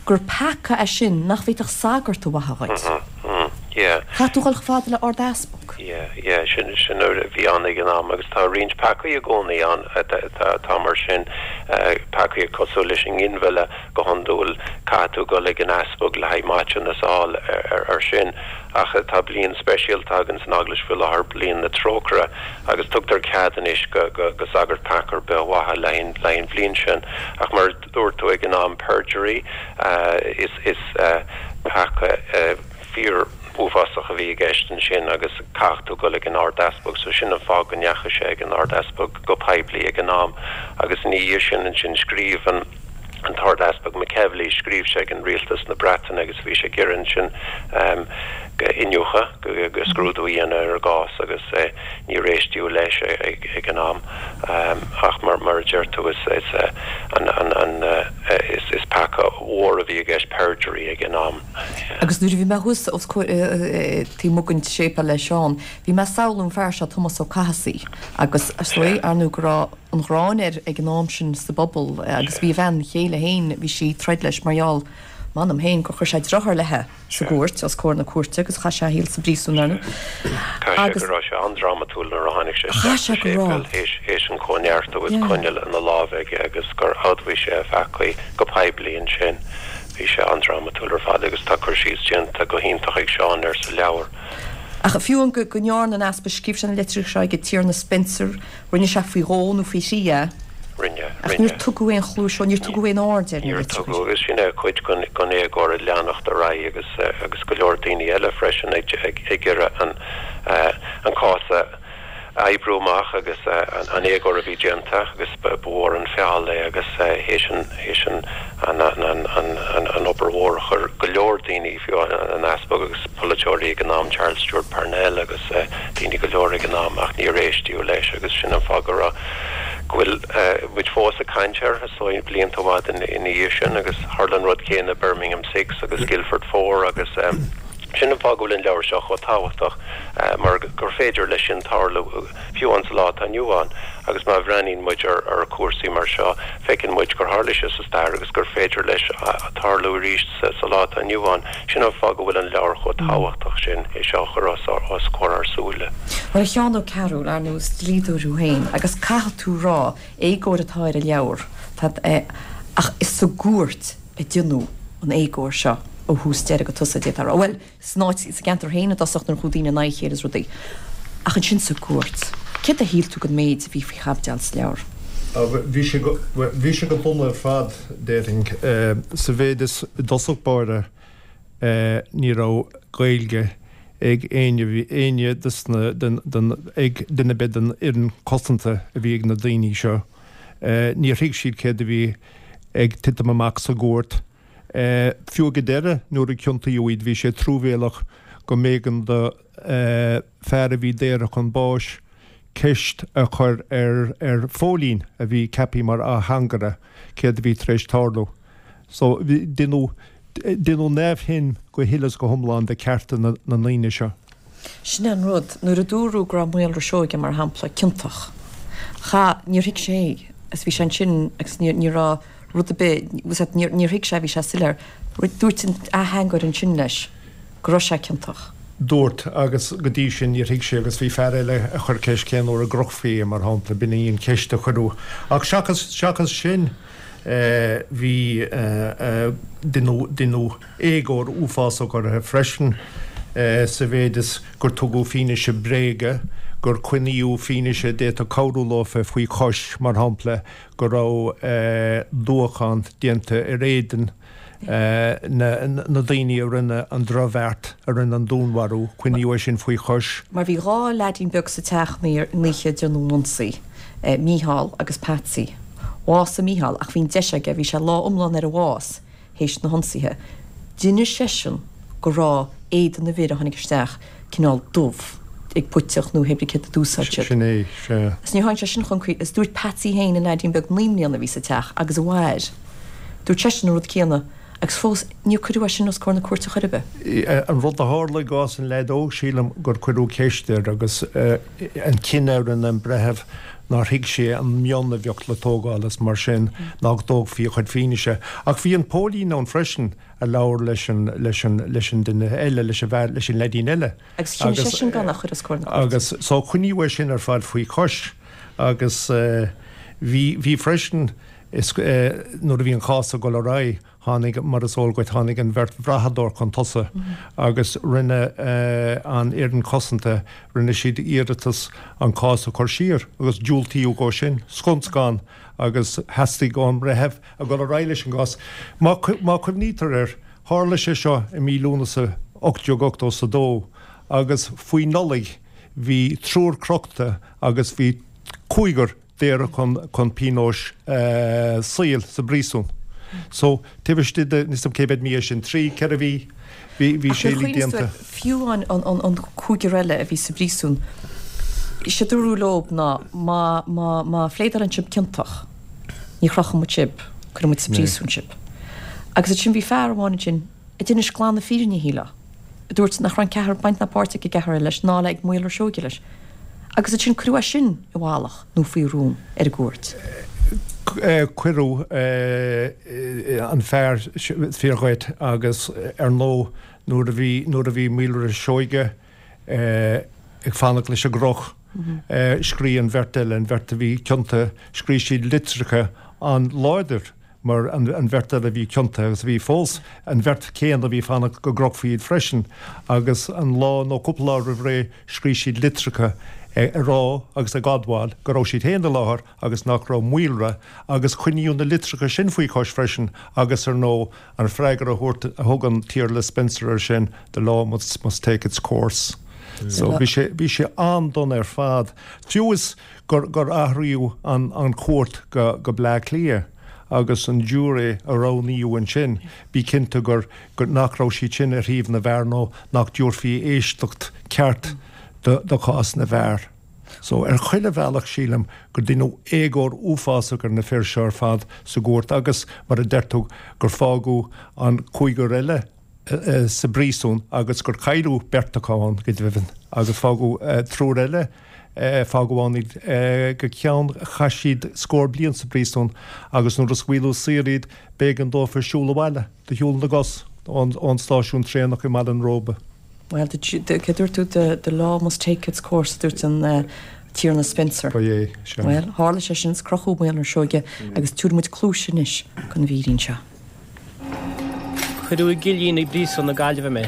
gur peaca é sin nach bhféadfadh sagart a mhaitheamh dhuit. Chaithfeadh tú dhul chomh fada le Ard-Easpag. Yeah, yeah, sin, sin a bhí ann ag an am agus tá roinnt peacaí i gcónaí ann atá mar sin, peacaí cosúil leis an nginmhilleadh go hiondúil, caithfidh tú dul ag an easpag le haghaidh maiteanas a fháil ar sin. Ach tá bliain speisialta againn san Eaglais faoi láthair, Bliain na Trócaire, agus tugtar cead anois go, go, go sagart peaca ar bith a mhaitheamh le haghaidh an bhliain sin. Ach mar a dúirt tú ag an am, perjury, is, is peaca fíor uafásach a bhí i gceist ansin agus caithfidh tú dul ag an Ard-Easpag. So sin an fáth go ndeachaigh sé ag an Ard-Easpag go poiblí ag an am. Agus ina dhiaidh sin ansin scríobh an an tArd-Easpag McEvilly, scríobh sé ag an Rialtas na Breataine agus bhí sé ag iarraidh ansin go iniúchadh, go scrúdú a dhéanamh ar an gcás agus níor éisteadh leis ag an am. Ach mar mar a deir tú is is an an an is is peaca mhór a bhí i gceist, perjury, ag an am. Agus nuair a bhí mé thuas os comhair taobh amuigh den séipéal le Seán, bhí mé ag samhlú an fear seo Tomás Ó Cathasaigh agus is dóigh ar ndóigh go raibh an ghráin air ag an am sin sa bpobal agus bhí a bhean chéile féin, bhí sí ag troid leis mar gheall, m'anam féin, gur chuir sé drochchur léithe sa gcúirt, os comhair na cúirte agus chaith sé a shaol sa bpríosún, ar ndóigh. Caithfidh sé go raibh sé an-drámatúil nuair a tháinig sé isteach sa séipéal théis an cóineartú is coinneal ina lámh aige agus gur admhaigh sé a pheacaí go poiblí ansin. Bhí sé an-drámatúil ar fad agus tá cur síos déanta go hiontach ag Seán air sa leabhar. Ach fiú amháin go ndearna an easpag, scríobh sé na litreacha seo ag an Tiarna Spencer, rinne sé faoi dhó nó faoi thrí é. Rinne, Ach níor tugadh aon chluais dó, níor tugadh aon aird ar na Níor litreacha. tugadh, agus sin é cuid den den éagóir ag leanacht ar aghaidh agus agus go leor daoine eile freisin ag ag ag iarraidh an an cás a oibriú amach agus an éagóir a bhí déanta agus ba mhór an feall é agus théis an théis an an an an an obair mhór a chuir go leor daoine, fiú an Easpag agus polaiteoirí ag an am, Charles Stewart Parnell agus daoine go leor ag an am ach níor éistíodh leis agus sin an fáth go raibh go bhfuil muid fós ag caint air is dóigh blianta i bhfad ina dhiaidh sin agus tharla an rud céanna Birmingham Six agus Guildford Four agus sin an fáth go bhfuil an leabhar seo chomh tábhachtach mar gur féidir leis sin tarlú fiú an sa lá atá inniu ann agus má bhreathnaíonn muid ar ar chúrsaí mar seo feiceann muid gur tharla sé sa stair agus gur féidir leis tarlú arís sa lá atá inniu ann. Sin an fáth go bhfuil an leabhar chomh tábhachtach sin é seo a chur os os comhair ár súile. Bhuel a Sheáin Ó Cearúil, ar ndóigh is dlíodóir thú féin agus caithfidh tú rá, éagóir atá ar an leabhar, tá, ach is sa gcúirt a deineadh an éagóir seo ó thús deireadh go tosach, d'fhéadfá a rá. Bhuel, san áit, sa gceantar féin i dtosach nuair a chuaigh daoine in aghaidh a chéile is rudaí. Ach ansin sa gcúirt. Céard a shíl tú den méid a bhí faoi chaibidil sa leabhar? Bhí sé go, bhí sé go dona ar fad, déarfainn. Sa mhéid is i dtosach báire ní raibh Gaeilge ag éinne, bhí éinne des na, den, den, ag duine ar bith den fhoireann cosanta a bhí ag na daoine seo. Níor thuig siad céard a bhí ag titim amach sa gcúirt. Fiú ag an deireadh, nuair a ciontaíodh iad, bhí sé truamhéalach go mb'éigean do fear a bhí daortha chun báis ceist a chur ar ar phóilín a bhí ceaptha mar ateangaire céard a bhí tar éis tarlú. So, deineadh deineadh neamhshuim go huile is go hiomlán de chearta na ndaoine seo. Sin é an rud, nuair a dúradh go raibh Maolra Seoige, mar shampla, ciontach, cha, níor thuig sé é, agus bhí sé ansin agus ní, ní raibh rud ar bith, bhfuil a fhios agat, níor, níor thuig sé, bhí sé soiléir. Dúirt an ateangaire ansin leis go raibh sé ciontach. Dúirt, agus go dtí sin níor thuig sé, agus bhí fear eile a chuir ceist cén uair a gcrochfaí é, mar shampla, b'in í an cheist a cuireadh. Ach seachas, seachas sin, bhí, deineadh, deineadh éagóir uafásach orthu freisin, sa mhéid is gur tugadh fianaise bréige, gur coinníodh fianaise a d'fhéadfadh cabhrú leofa faoi chois, mar shampla, go raibh dúchán déanta ar éadan na daoine a rinne an drochbheart, a rinne an dúnmharú, coinníodh é sin faoi chois. Mar bhí dhá leaidín beag sa teach an oíche a deineadh an ionsaí, Mícheál agus Patsy. Bhásaigh Mícheál ach bhí an deis aige, bhí sé lá iomlán ar a bhás théis na hionsaithe. D'inis seisean go raibh éadan na bhfir a tháinig isteach cineál dubh ag puiteach nó hé brí céard a d'úsáid siad. Sin é, sea. Is níor tháinig sé sin chun críche. Is dúirt Patsy féin, an leaidín beag naoi mbliana a bhí sa teach agus a mhair, dúirt seisean an rud céanna agus fós níor cuireadh é sin os comhair na cúirte chor ar bith. An rud a tharla i gcás an leaid óg, sílim gur cuireadh ceist air agus an cinneadh a rinne an breitheamh nár thuig sé an mionn a bheadh le tógáil as mar sin ná go dtógfaí a chuid fianaise. Ach bhí an póilín ann freisin a labhair leis an, leis an, leis an duine eile, leis an bhfear, leis an leaidín eile. Agus chinn seisean gan a chur os comhair na cúirte. Agus so coinníodh é sin ar fad faoi chois agus bhí, bhí freisin, is, nuair a bhí an cás ag dul ar aghaidh, Tháinig, mar is eol duit, tháinig an bheirt bhrathadóir chun tosaigh agus rinne an fhoireann cosanta, rinne siad iarratas an cás a chur siar agus diúltaíodh dhó sin, scun scan, agus theastaigh ón mbreitheamh a dhul ar aghaidh leis an gcás. Má chuimhnítear air, tharla sé seo i mí Lúnasa ocht déag ochtó is a dó agus faoi Nollaig bhí triúr crochta agus bhí cúigear daortha chun chun pionóis saoil sa bpríosún. So, taobh istigh de, níl 's agam cé mhéad mí é sin, trí, ceithre mhí, bhí bhí Ach sé nuair a uilig chuimhníos déanta. tú air, fiú an an an an cúigear eile a bhí sa bpríosún, is é a dúradh leob ná má má má phléadálann sibh ciontach, ní chrochfaidh muid sibh, cuirfidh muid sa bpríosún sibh. Agus ansin bhí fear amháin ansin a d'inis glan na fírinne, shílfeá, a dúirt nach raibh an ceathrar, baint ná páirt ag an gceathrar eile leis ná le ag Maolra Seoige leis. Agus ansin cuireadh é sin i bhfalach nó faoi rún ar an gcúirt. Cuireadh an fear fíor dhuit agus ar ndóigh nuair a bhí nuair a bhí Maolra Seoige ag fanacht leis an gcroch, scrígh an bheirt eile, an bheirt a bhí ciontaithe, scrígh siad litreacha an-láidir mar an bheirt eile a bhí ciontaithe agus a bhí fós, an bheirt chéanna a bhí ag fanacht go gcrochfaí iad freisin agus an lá nó cúpla lá roimh ré scrígh siad litreacha ag rá agus ag admháil go raibh siad féin i láthair agus nach raibh Maolra agus coinníodh na litreacha sin faoi chois freisin agus ar ndóigh an freagra a thabhairt a thug an tIarla Spencer air sin the law must, must take its course. So bhí sé bhí sé an-dona ar fad. Fiú is gur gur athraíodh an an chúirt go go Bleá Cliath agus an giúiré a roghnaíodh ansin, bí cinnte gur gur nach raibh siad sin ar thaobh na bhfear nó nach dtabharfaí éisteacht ceart do do chás na bhfear. So ar chuile bhealach sílim gur deineadh éagóir uafásach ar na fir seo ar fad sa gcúirt agus mar a deir tú gur fágadh an cúigear eile sa bpríosún agus gur cailleadh beirt acu ann go deimhin agus fágadh triúr eile fágadh ann iad go ceann chaith siad scór bliain sa bpríosún agus nuair a scaoileadh saor iad b'éigean dófa siúl abhaile de shiúl na gcos ón ón stáisiún traenach i mBaile an Róba. Well, cé dúirt tú the, the law must take its course dúirt an uh, Tiarna Spencer. Ba é, sea. Well, tharla sé sin is crochadh Maolra Seoige agus tabharfaidh muid cluais anois don mhírín seo. Cuireadh i gcillín i bpríosún na Gaillimhe mé.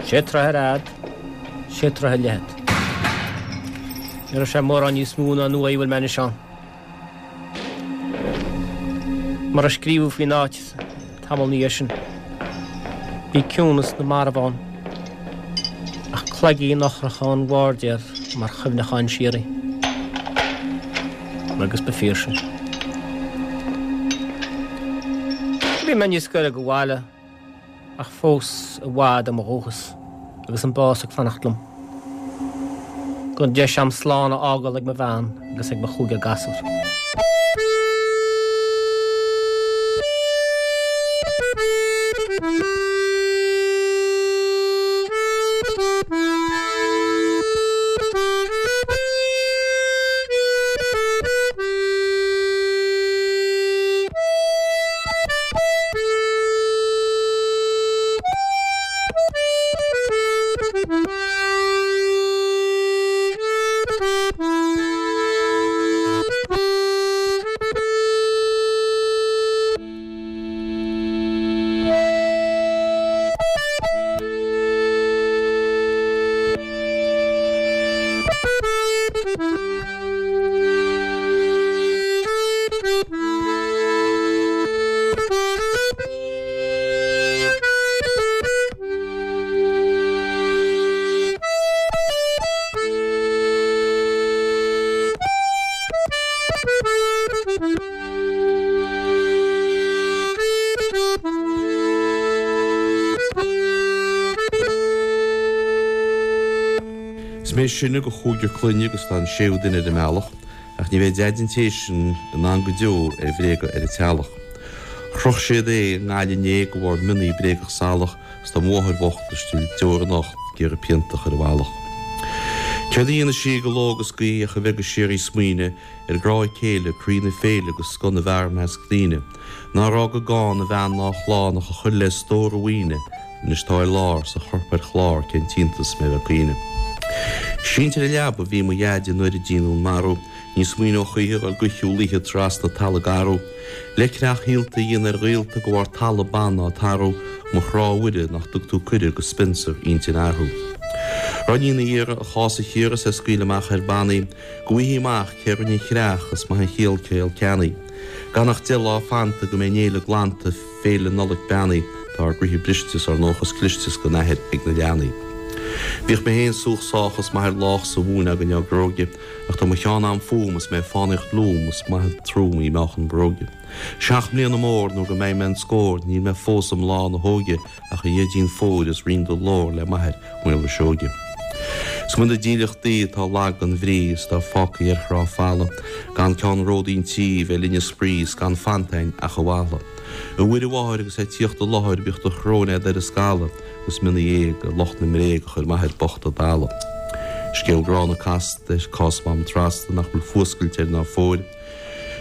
Sé troithe ar fhad, sé troithe ar leithead. Ní raibh sé mórán níos mó ná an uaigh a bhfuil mé anois ann. Mar a scríobhadh faoin áit tamall ina dhiaidh sin, bhí ciúnas na marbh ann, ach cloigín ocracha ón bhairdéir mar chuimhneachán síoraí. Agus ba fíor sin. Bhí mé níos gaire do bhaile ach fós i bhfad ó mo dhúchas agus an bás ag fanacht liom. Gan deis agam slán a fhágáil ag mo bhean agus ag mo chúigear gasúr. Is mé is sine de chúigear clainne agus tá an séú duine ar an mbealach, ach ní bheidh Deaid an té sin in ann go deo ar bhréaga ar an teallach. Chroch siad é i nGaillimh inné de bharr mionnaí bréagach salach 's tá mo mháthair bhocht istigh deor anocht ag iarraidh pionta a chur ar a mhullach. Céard a dhéanadh sí de ló agus d'oíche ach a bheith go síoraí ag smaoineamh ar grá a céile, croí na féile agus scoth na bhfear i measc daoine. Nár fhág a gcán a bhean ná a chlann ach a chuir le stór a mhaoine, anois tá ar lár 's a chorp ar chlár cén t-iontas mé bheith ag caoineadh. Sínte ar an leaba a bhí mo dhaid nuair a deineadh an marú, ní smaoineodh choíche a dhul de shiúl oíche trasna talamh garbh. Le creach shaolta a dhéanamh ar ghaolta de bharr talamh ban á tarbhú, mo chrá a Mhuire nach dtug tú cuireadh go Spencer intinn a athrú. Rinne ina iarraidh a chás a chíoradh 's é scaoileadh amach ar bannaí, go bhfaighfí amach cé rinne an chreach is maith an chiall céill ceannaí. Gan ach deich lá fanta go mbeidh an fhéile glanta, Féile Nollag beannaí, tá ár gcroíthe briste 's ár ndóchas cliste 's gan athair ag na leanaí. Bhíodh mé féin súch sách is m'athair lách sa mhóin againn ár gcróige, ach tá mo cheann a'm fúm is mé ag fánaíocht liúm is maith an trúm í meáchan bróige. Seacht mbliana mór nó go mbeidh mé an scór níl mé fós i mbláth na hóige ach a Dhaidín fóir is roinn do ghlór le m'athair Maolra Seoige. Is cuma na dílleachtaí atá lag gan bhrí is atá fágtha ar thrá falla, gan ceannródaí an tí bheith linn ag spraoi is gan fanta a'inn ach a mhala. A Mhuire Mháthair agus é ag tíocht i láthair bíodh do shrón a'd ar an scalla agus mionnaí éag ar lucht na mbréag a chuir m'athair bocht i dtalamh. Scéal gránna casta é cás Mham Trasta nach bhfuil fuascailt air ná fóir.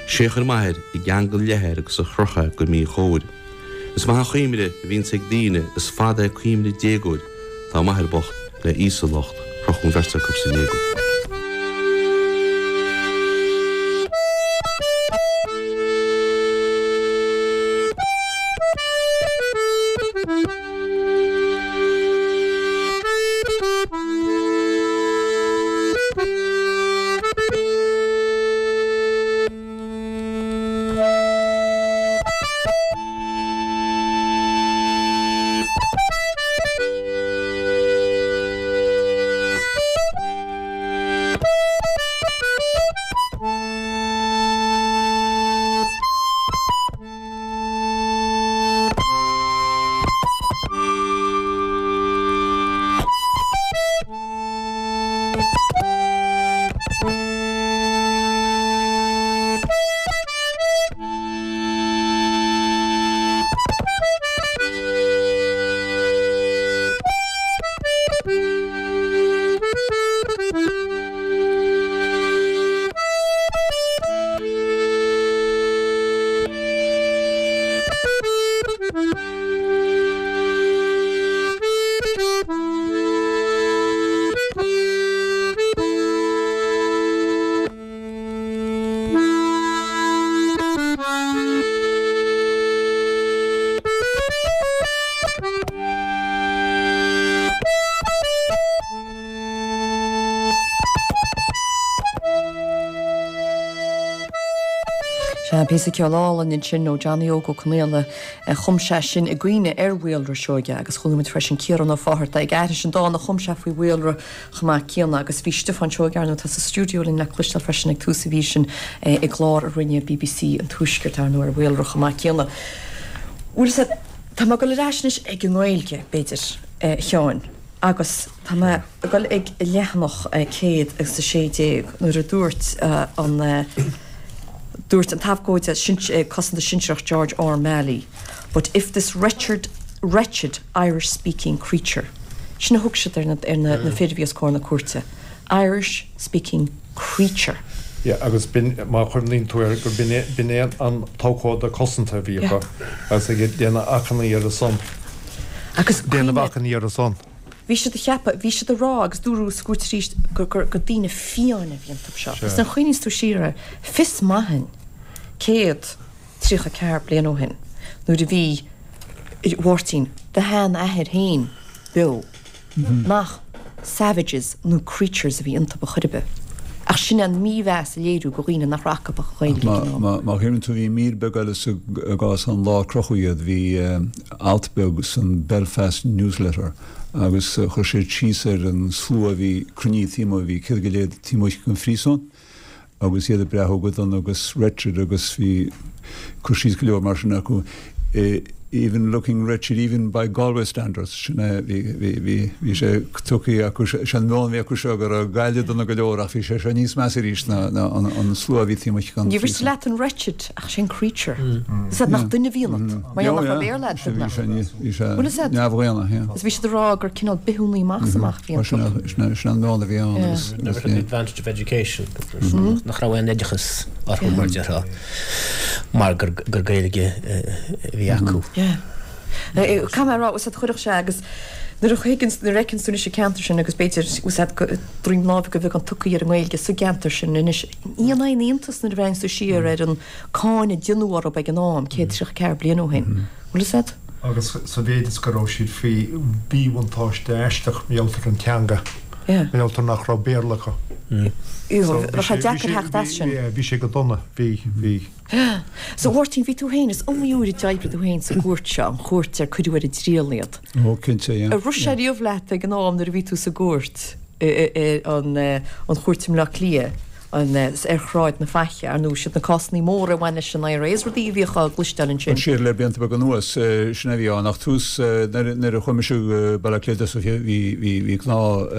Sé a chuir m'athair i gceangal leathair agus a chroch é go míchóir. Is maith an chuimhne a bhíonns ag daoine, is fada é cuimhne déagóir. Tá m'athair bocht le Íosa anocht, crochadh an bheirt acu san éagóir. Sea, píosa ceoil álainn ansin ó Johnny Óg Ó Conaola a chum sé sin i gcuimhne ar Mhaolra Seoige agus chuala muid freisin Ciarán Ó Fátharta ag aithris an dán a chum sé faoi Mhaolra chomh maith céanna agus bhí Stiofán Seoige ar ndóigh atá sa stiúideo linn le cloisteáil freisin ag tús an mhí sin i gclár a rinne BBC an Tuaiscirt ar ndóigh ar Mhaolra chomh maith céanna. Bhuel, tá mé ag dul ar ais anois ag an nGaeilge, b'fhéidir, a Sheáin, agus tá mé ag dul ag leathanach céad agus a sé déag nuair a dúirt an Dúirt an t-abhcóide cosanta sinsearach George R. Malley, But if this wretched, wretched Irish-speaking creature, sin a thug siad ar na, ar na, na fir a bhí os comhair na cúirte, Irish-speaking creature. Yeah, agus b'in, má chuimhníonn tú air, gur b'in é, b'in é an t-abhcóide cosanta a bhí acu, agus ag déanamh achainí ar a son. Agus Déanamh achainí ar a son. Bhí siad a cheapadh, bhí siad a rá agus dúradh sa gcúirt arís gur, gur, gur daoine fiáine a bhí iontu seo. Agus nuair a chuimhníos tú siar air, fios maith a'inn, céad tríocha ceathair bliain ó shin, nuair a bhí, a Mháirtín, do sheanathair féin beo, nach savages nó creatures a bhí iontu ar chor ar bith. Ach sin an mímheas a léiriú do dhaoine nach raibh acu ach an Ghaeilge ag an am. Má chuimhníonn tú, bhí mír beag eile sa gcás an lá a crochadh iad, bhí alt beag san Belfast Newsletter agus chuir siad síos ar an slua a bhí cruinnithe taobh amuigh, bhí céad go leith taobh amuigh den phríosún agus iad ag breathú go dona agus wretched agus bhí cur síos go leor mar sin acu. Even looking wretched even by Galway standards, sin é, bhí, bhí, bhí, bhí sé tugtha acu, sé an meon a bhí acu seo go raibh Gaillimh dona go leor ach bhí sé seo níos measa arís ná, ná an, an slua a bhí taobh amuigh den Ní bhris phríosún. leat an wretched ach sin creature. Is ea nach duine a bhí ionat, mar gheall nach raibh Béarla agat, Bhí nach. sé ní, bhí sé Bhfuil fhios a'd? neamhdhaonna, yeah. Is bhí siad ag rá gur cineál bithiúnaí amach is amach a bhí Sin iontu. sin sin an meon a bhí ann Yeah. agus Never agus had the ní. advantage of education. Nach raibh aon oideachas orthu mar déarfá mar gur gur Gaeilge a bhí acu. Yeah. Caithfidh mé a rá, úsáid chuirfeadh sé agus nuair a chuigeann nuair a fheiceann tú anois an ceantar sin agus b'fhéidir úsáid droim láimhe go bheag an tugtha ar an nGaeilge sa gceantar sin anois ní aon iontas nuair a bhreathnaíonn tú siar ar an cáineadh a deineadh orthu ag an am céad tríocha ceathair bliain ó shin. Bhfuil fhios a'd? Agus sa mhéid is go raibh siad faoi mhíbhuntáiste aisteach mar gheall ar an teanga. Yeah. Mar gheall ar nach raibh Béarla acu. So, bheadh sé deacair theacht as sin. Bhí sé go dona, bhí, bhí. So Mháirtín, bhí tú féin, is iomaí uair a d'oibrigh tú féin sa gcúirt seo, an chúirt ar cuireadh ar a dtriail iad. Ó, cinnte, yeah. Ar rith sé riamh leat ag an am nuair a bhí tú sa gcúirt, an an chúirt i mBleá Cliath, an ar Shráid na Faiche, ar ndóigh siad na cásanna móra a bhain leis an IRA, is rudaí a bhíodh á gcloisteáil ansin. Siar le blianta beaga anuas, sin a bhí ann, ach tús nuair a chuaigh mise go Baile Átha Cliath is bhí bhí bhí gnáth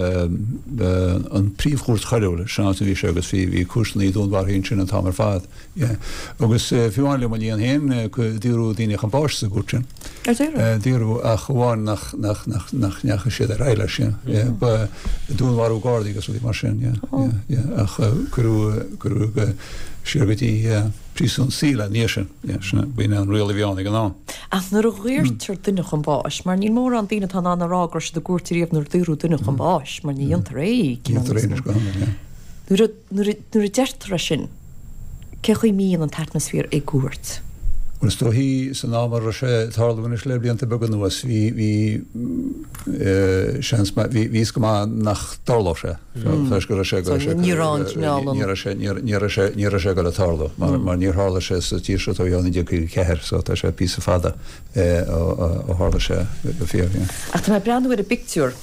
an príomhchúirt choiriúil, sin an áit a bhí sé agus bhí bhí cúirteanna dúnmharfaithe ansin an t-am ar fad. Yeah. Agus fiú amháin le mo linn féin, daoradh daoine chun báis sa gcúirt sin. Ar daoradh? Daoradh ach amháin nach nach nach nach ndeachaigh siad ar aghaidh leis, yeah. Yeah. Ba dúnmharú gardaí agus rudaí mar sin, yeah. Yeah, yeah. Ach cuireadh cuireadh siar go dtí príosún saoil ina dhiaidh sin, yeah, sin b'in an riail a bhí ann ag an am. Ach nuair a dhaortar duine chun báis, mar níl mórán daoine atá in ann a rá go raibh siad i gcúirt riamh nuair a daoradh duine chun báis, mar ní dhéantar é, Dhéantar é anois go hiondúil, yeah. Nuair a nuair a nuair a deirtear é sin, cé chaoi mbíonn an t-atmaisféar i gcúirt? Bhuel, is dóichí san am a raibh sé ag tarlú anois le blianta beaga anuas, bhí, bhí, seans maith, bhí, bhí fhios go maith nach dtarlódh sé. Toisc go raibh sé, go raibh sé, ní raibh an cineál an. Ní raibh sé, ní raibh sé, ní raibh sé ag dul a tarlú, mar, mar níor tharla sé sa tír seo ó naoi déag caoga ceathair, so tá sé píosa fada ó, ó tharla sé go fíor, yeah. Ach tá mé ag breathnú ar an bpictiúr,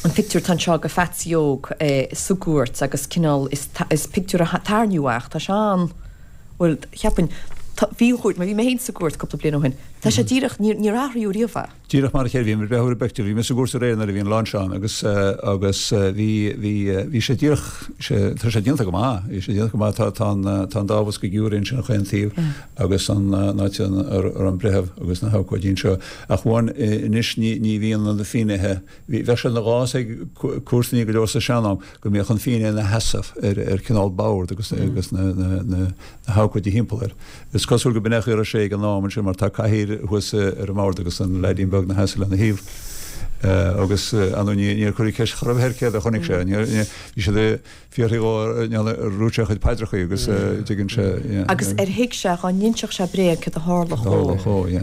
an pictiúr atá anseo de Phatsy Óg sa gcúirt agus cineál, is, is pictiúr a tarraingíodh é ach tá sé an, bhuel, cheapfainn, tá, bhí an chúirt, mar bhí mé féin sa gcúirt cúpla bliain ó shin, tá sé díreach, níor, níor athraíodh riamh é. Díreach mar a chéile, bhí mé ag breathnú ar an bpictiúr, bhí mé sa gcúirt aréir nuair a bhí an lá anseo ann agus, agus bhí, bhí, bhí sé díreach, sé, tá sé déanta go maith, bhí sé déanta go maith, tá, tá an, tá an dá bhosca giúiré ansin chaon taobh agus an, an áit ar, ar an breitheamh agus na habhcóidí anseo. Ach amháin anois ní, ní bhíonn na finnéithe, bhí, bheadh sé ina ghás ag cúirteanna go leor sa sean-am go mbeadh an finné ina sheasamh ar, ar cineál bord agus, agus na, na, na, na habhcóidí thimpeall air. Is cosúil go b'in é a raibh sé ag an am ansin mar tá cathaoir thuas ar an mbord agus an leaidín beag ina sheasamh lena thaobh. Agus ar ndóigh níor cuireadh ceist chor ar bith air céard a chonaic sé. Bhí siad ag fiafraí dhó ar dhúirt sé a chuid paidreacha agus tuigeann sé. Agus ar thuig sé dhá n-inseodh sé bréag céard a tharlódh dhó.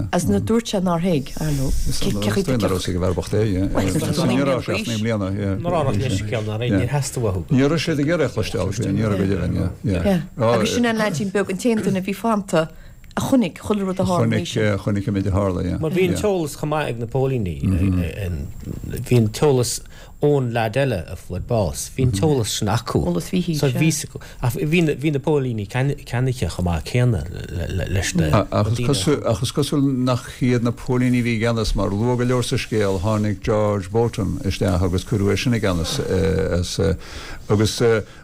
Agus nuair a dúirt sé nár thuig, ar ndóigh. Cé chaoi Ní raibh sé ag bheith bocht é, yeah. Ní raibh sé ach naoi mbliana, yeah. Ní raibh leithscéal ná níor theastaigh uathu. Ní raibh siad ag iarraidh a chloisteáil, ní raibh go deimhin, yeah. Yeah. Agus sin an leaidín beag, an t-aon duine a bhí fanta a chonaic chuile rud a tharla. Chonaic, chonaic an méid a tharla, yeah. Mar bhí an t-eolas chomh maith ag na póilíní, bhí an t-eolas ón leaid eile a fuair bás, bhí an t-eolas sin acu. Eolas Mhíchíl, So bhí acu. Ach bhí na, bhí na póilíní ceannaithe chomh maith céanna leis na Ach is cosúil, ach is cosúil nach iad na póilíní a bhí i gceannas, mar luath go leor sa scéal tháinig George Bolton isteach agus cuireadh é sin i gceannas as agus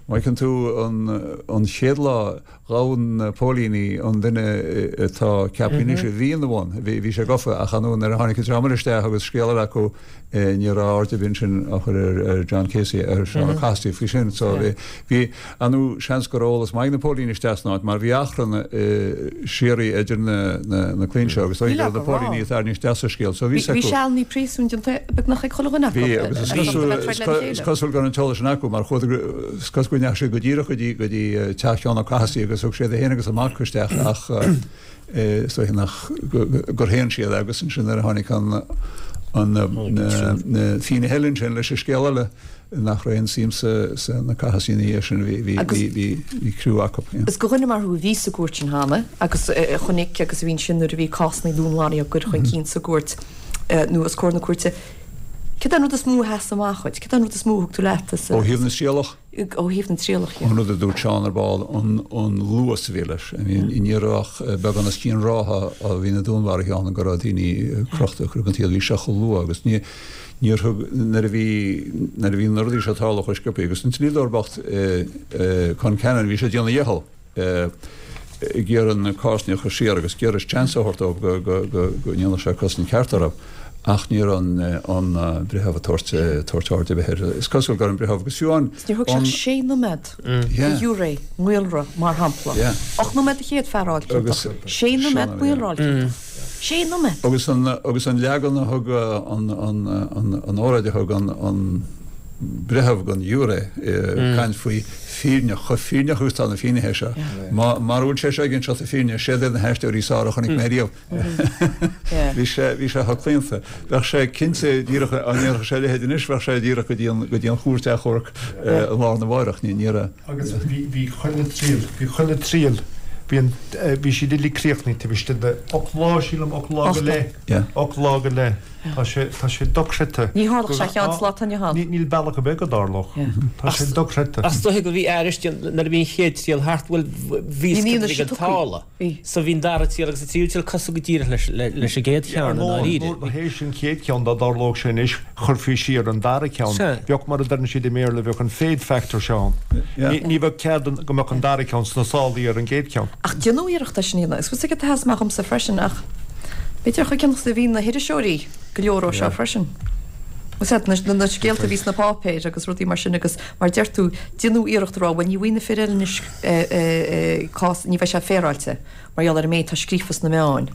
má fheiceann tú an, an chéad lá Ghabh na póilíní an duine atá ceaptha anois a bhí ina bhun, bhí sé gafa, ach ar ndóigh nuair a tháinig an dream eile isteach agus scéal eile acu, ní raibh aird ar bith ansin á chur ar John Casey, ar Seán Ó Cathasaigh faoi sin. So bhí, ar ndóigh, seans go raibh eolas maith ag na póilíní isteach san áit mar bhí achrann síoraí idir na clainn seo agus dóigh go raibh na póilíní ag tarraingt isteach sa scéal. So bhí Bhí sealanna príosúin déanta beagnach ag chuile dhuine acu. Bhí, agus is cosúil go raibh an t-eolas sin acu mar chuadar, is cosúil go ndeachaigh siad go díreach go dtí go dtí teach Sheáin Ó Cathasaigh agus thug siad é féin agus a mac isteach ach is dóiche nach gur shéan siad agus ansin nuair a tháinig an an na finnéithe eile ansin leis an scéal eile nach raibh aon suim sa sa na Cathasaigh ina dhiaidh sin bhí bhí bhí bhí bhí criú acu. Is do dhuine mar thú a bhí sa gcúirt sin cheana agus a chonaic agus a bhí ansin nuair a bhí cásanna dúnmharaithe á gcur chun cinn sa gcúirt nó os comhair na cúirte, cad é an rud is mó a sheas amach dhuit? Cad é an rud is mó a thug tú leat as Ó thaobh na trialach? Ó thaobh na trialach, yeah. An rud a dúirt Seán ar ball, an luas a bhí leis. I mean, ní raibh ach beagán os cionn ráithe ó bhí na dúnmharuithe ann go raibh daoine crochta curtha den tsaol. Bhí sé chomh luath agus ní, níor thug, nuair a bhí, nuair a bhí na rudaí seo ag tarlú chomh sciobtha agus an dlíodóir bocht Concannon, bhí sé ag déanamh a dhicheall. ag iarraidh na cásanna a chur siar agus ag iarraidh seans a thabhairt dóibh go go ndéanfadh sé cosaint ceart orthu ach ní raibh an breitheamh ag tabhairt tabhairt aird ar bith air. Is cosúil go raibh an breitheamh agus fiú an Níor thug sé ach sé nóiméad do ghiúiré maolra mar shampla. Ocht nóiméad don chéad fear a fháil ciontach. Sé nóiméad maolra a fháil ciontach. Sé nóiméad! Agus an agus an leagan a thug an an an óráid a thug an an breitheamh don ghiúiré ag caint faoi fírinne, chomh fírinneach agus atá na finnéithe seo. Mara bhfuil sé seo ag inseacht na fírinne, siad iad na haisteoirí is fearr a chonaic mé riamh. Bhí sé, bhí sé chomh claonta. Bheadh sé cinnte díreach, dá ndéarfadh sé a leithéid anois, bheadh sé díreach go dtí an, go dtí an chúirt achomhairc lá arna mháireach. Ní, ní raibh. Agus bhí, bhí chuile triail, bhí chuile triail, bhí an, bhí siad uilig críochnaithe taobh istigh de ocht lá, sílim, ocht lá go leith, ocht lá go leith. Tá sé, tá sé dochreidte. Ní tharlódh sé a Sheáin sa lá atá inniu ann. Níl bealach ar bith go dtarlódh. Tá sé dochreidte. Ach is dóiche go bhí aris nuair a bhí an chéad triail thart, bhuel, bhí a fhios cad a bhí ag tarlú. So bhí an dara triail agus an tríú triail cosúil go díreach leis leis an gcéad cheann i ndáiríre. Ar ndóigh, théis an chéad cheann, dá dtarlódh sé anois, chuirfí siar an dara ceann. Bheadh, mar a deireann siad i mBéarla, bheadh an fade factor seo ann. Ní bheadh cead go mbeadh an dara ceann sna sálaí ar an gcéad cheann. Ach déanadh iarracht é sin a dhéanamh. Is bhfuil a fhios agat cad a sheas amach dhomsa freisin ach B'fhéidir chomh ciontach is a bhí na hiriseoirí go leor ó seo freisin. Is ea, na scéalta a bhí sna páipéir agus rudaí mar sin agus mar deir tú, déanadh iarracht a rá, bhuel ní bhfaighidh na fir eile anois cás, ní bheidh sé féaráilte mar gheall ar an méid atá scríofa sna meáin.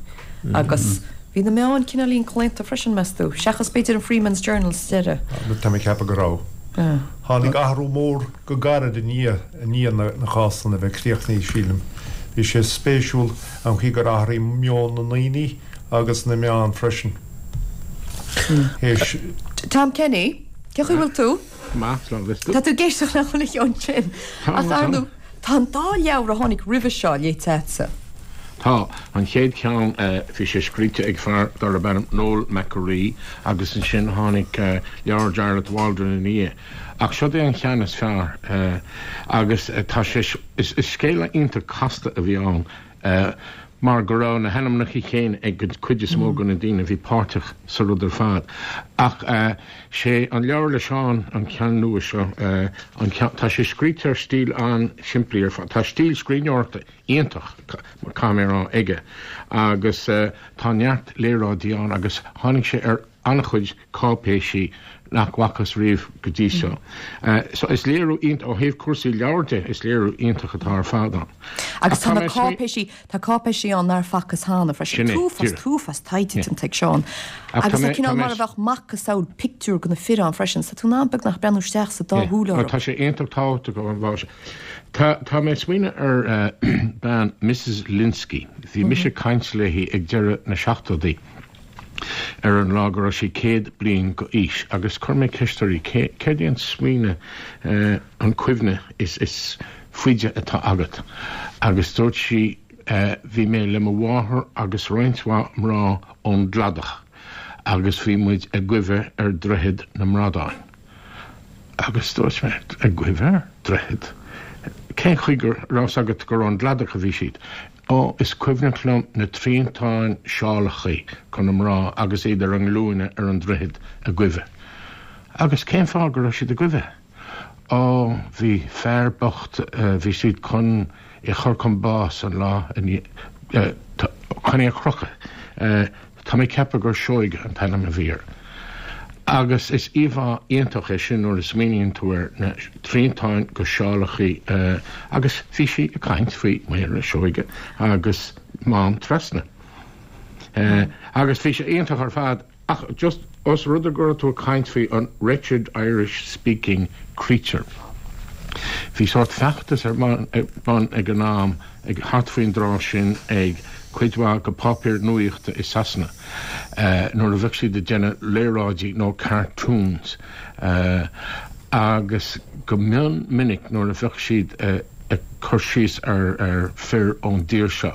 Agus bhí na meáin cineáilín claonta freisin, meas tú, seachas b'fhéidir an Freeman's Journal sa deireadh. Tá mé ag ceapadh go raibh. Tháinig athrú mór go gairid i ndiaidh i ndiaidh na cásanna a bheith críochnaithe, sílim. Bhí sé spéisiúil an chaoi gur athraigh meon na ndaoine agus na meán freisin. Théis. Tom Kenny, cén chaoi a bhfuil tú? Go maith, slán agus tú? Tá tú ag éisteacht le chuile cheann sin. Tá, Ach ar ndóigh, tá an dá leabhar a tháinig roimhe seo léite agatsa. Tá. An chéad cheann, bhí sé scríte ag fear darb ainm Noel McAree agus ansin tháinig leabhar Jarlath Waldron ina dhiaidh. Ach seod é an cheann is fearr agus tá sé, is scéal iontach casta a bhí ann mar go raibh na hainmneacha céanna ag an chuid is mó de na daoine a bhí páirteach sa rud ar fad. Ach sé an leabhar le Seán an ceann nua seo, an ceann, tá sé scríte ar stíl an-simplí ar fad, tá stíl scríbhneoireachta iontach, caithfidh mé a rá, aige agus tá neart léaráidí ann agus tháinig sé ar an-chuid cáipéisí nach bhfacthas riamh go dtí seo. So is léiriú iontach, ó thaobh cúrsaí leabhar de, is léiriú iontach atá ar fad ann. Agus tá na cáipéisí, tá cáipéisí ann nár facthas cheana freisin. Sin é, T-uafás, t-uafás taighde déanta ag Seán. Agus tá cineál mar a bheadh macasamhail pictiúr de na fir ann freisin, so tá tú in ann beagnach breathnú isteach sa dá shúil orthu. Tá sé iontach tábhachtach ó an bhfáth sin. Tá, tá mé ag smaoineamh ar bean Missus Lynskey. Bhí mise ag caint léi ag deireadh na seachtóidí ar an lá go raibh sí céad bliain go aois agus chuir mé ceist uirthi cé, céard é an smaoineamh, an cuimhne is, is faide atá agat agus dúirt sí bhí mé le mo mháthair agus roinnt mhaith mná ón gcladach agus bhí muid ag goimhe ar Droichead na mBradán. Agus dúirt mé, ag goimhe ar droichead? Cén chaoi go raibh 's agat gur ón gcladach a bhí siad? Ó, is cuimhneach liom na triantáin seálachaí go na mná agus iad ar a nglúine ar an droichead ag goimhe. Agus cén fáth go raibh siad ag goimhe? Ó, bhí fear bocht, bhí siad chun é chur chun bás an lá chun é a chrochadh. Tá mé ag ceapadh gur Seoige an t-ainm a bhí air. Agus is íomhá iontach é sin nuair a smaoiníonn tú ar na triantáin go seálachaí agus bhí sí ag caint faoi Mhaolra Seoige agus Mám Trasna. Agus bhí sé iontach ar fad ach just os rud é go raibh tú ag caint faoi an wretched Irish speaking creature. Bhí sórt feachtas ar bun ag an am ag thart faoin dtráth sin ag cuid mhaith go páipéir nuaíochta i Sasana nuair a bheadh siad ag déanamh léaráidí nó cartoons agus go mion minic nuair a bheadh siad ag cur síos ar fir ón dtír seo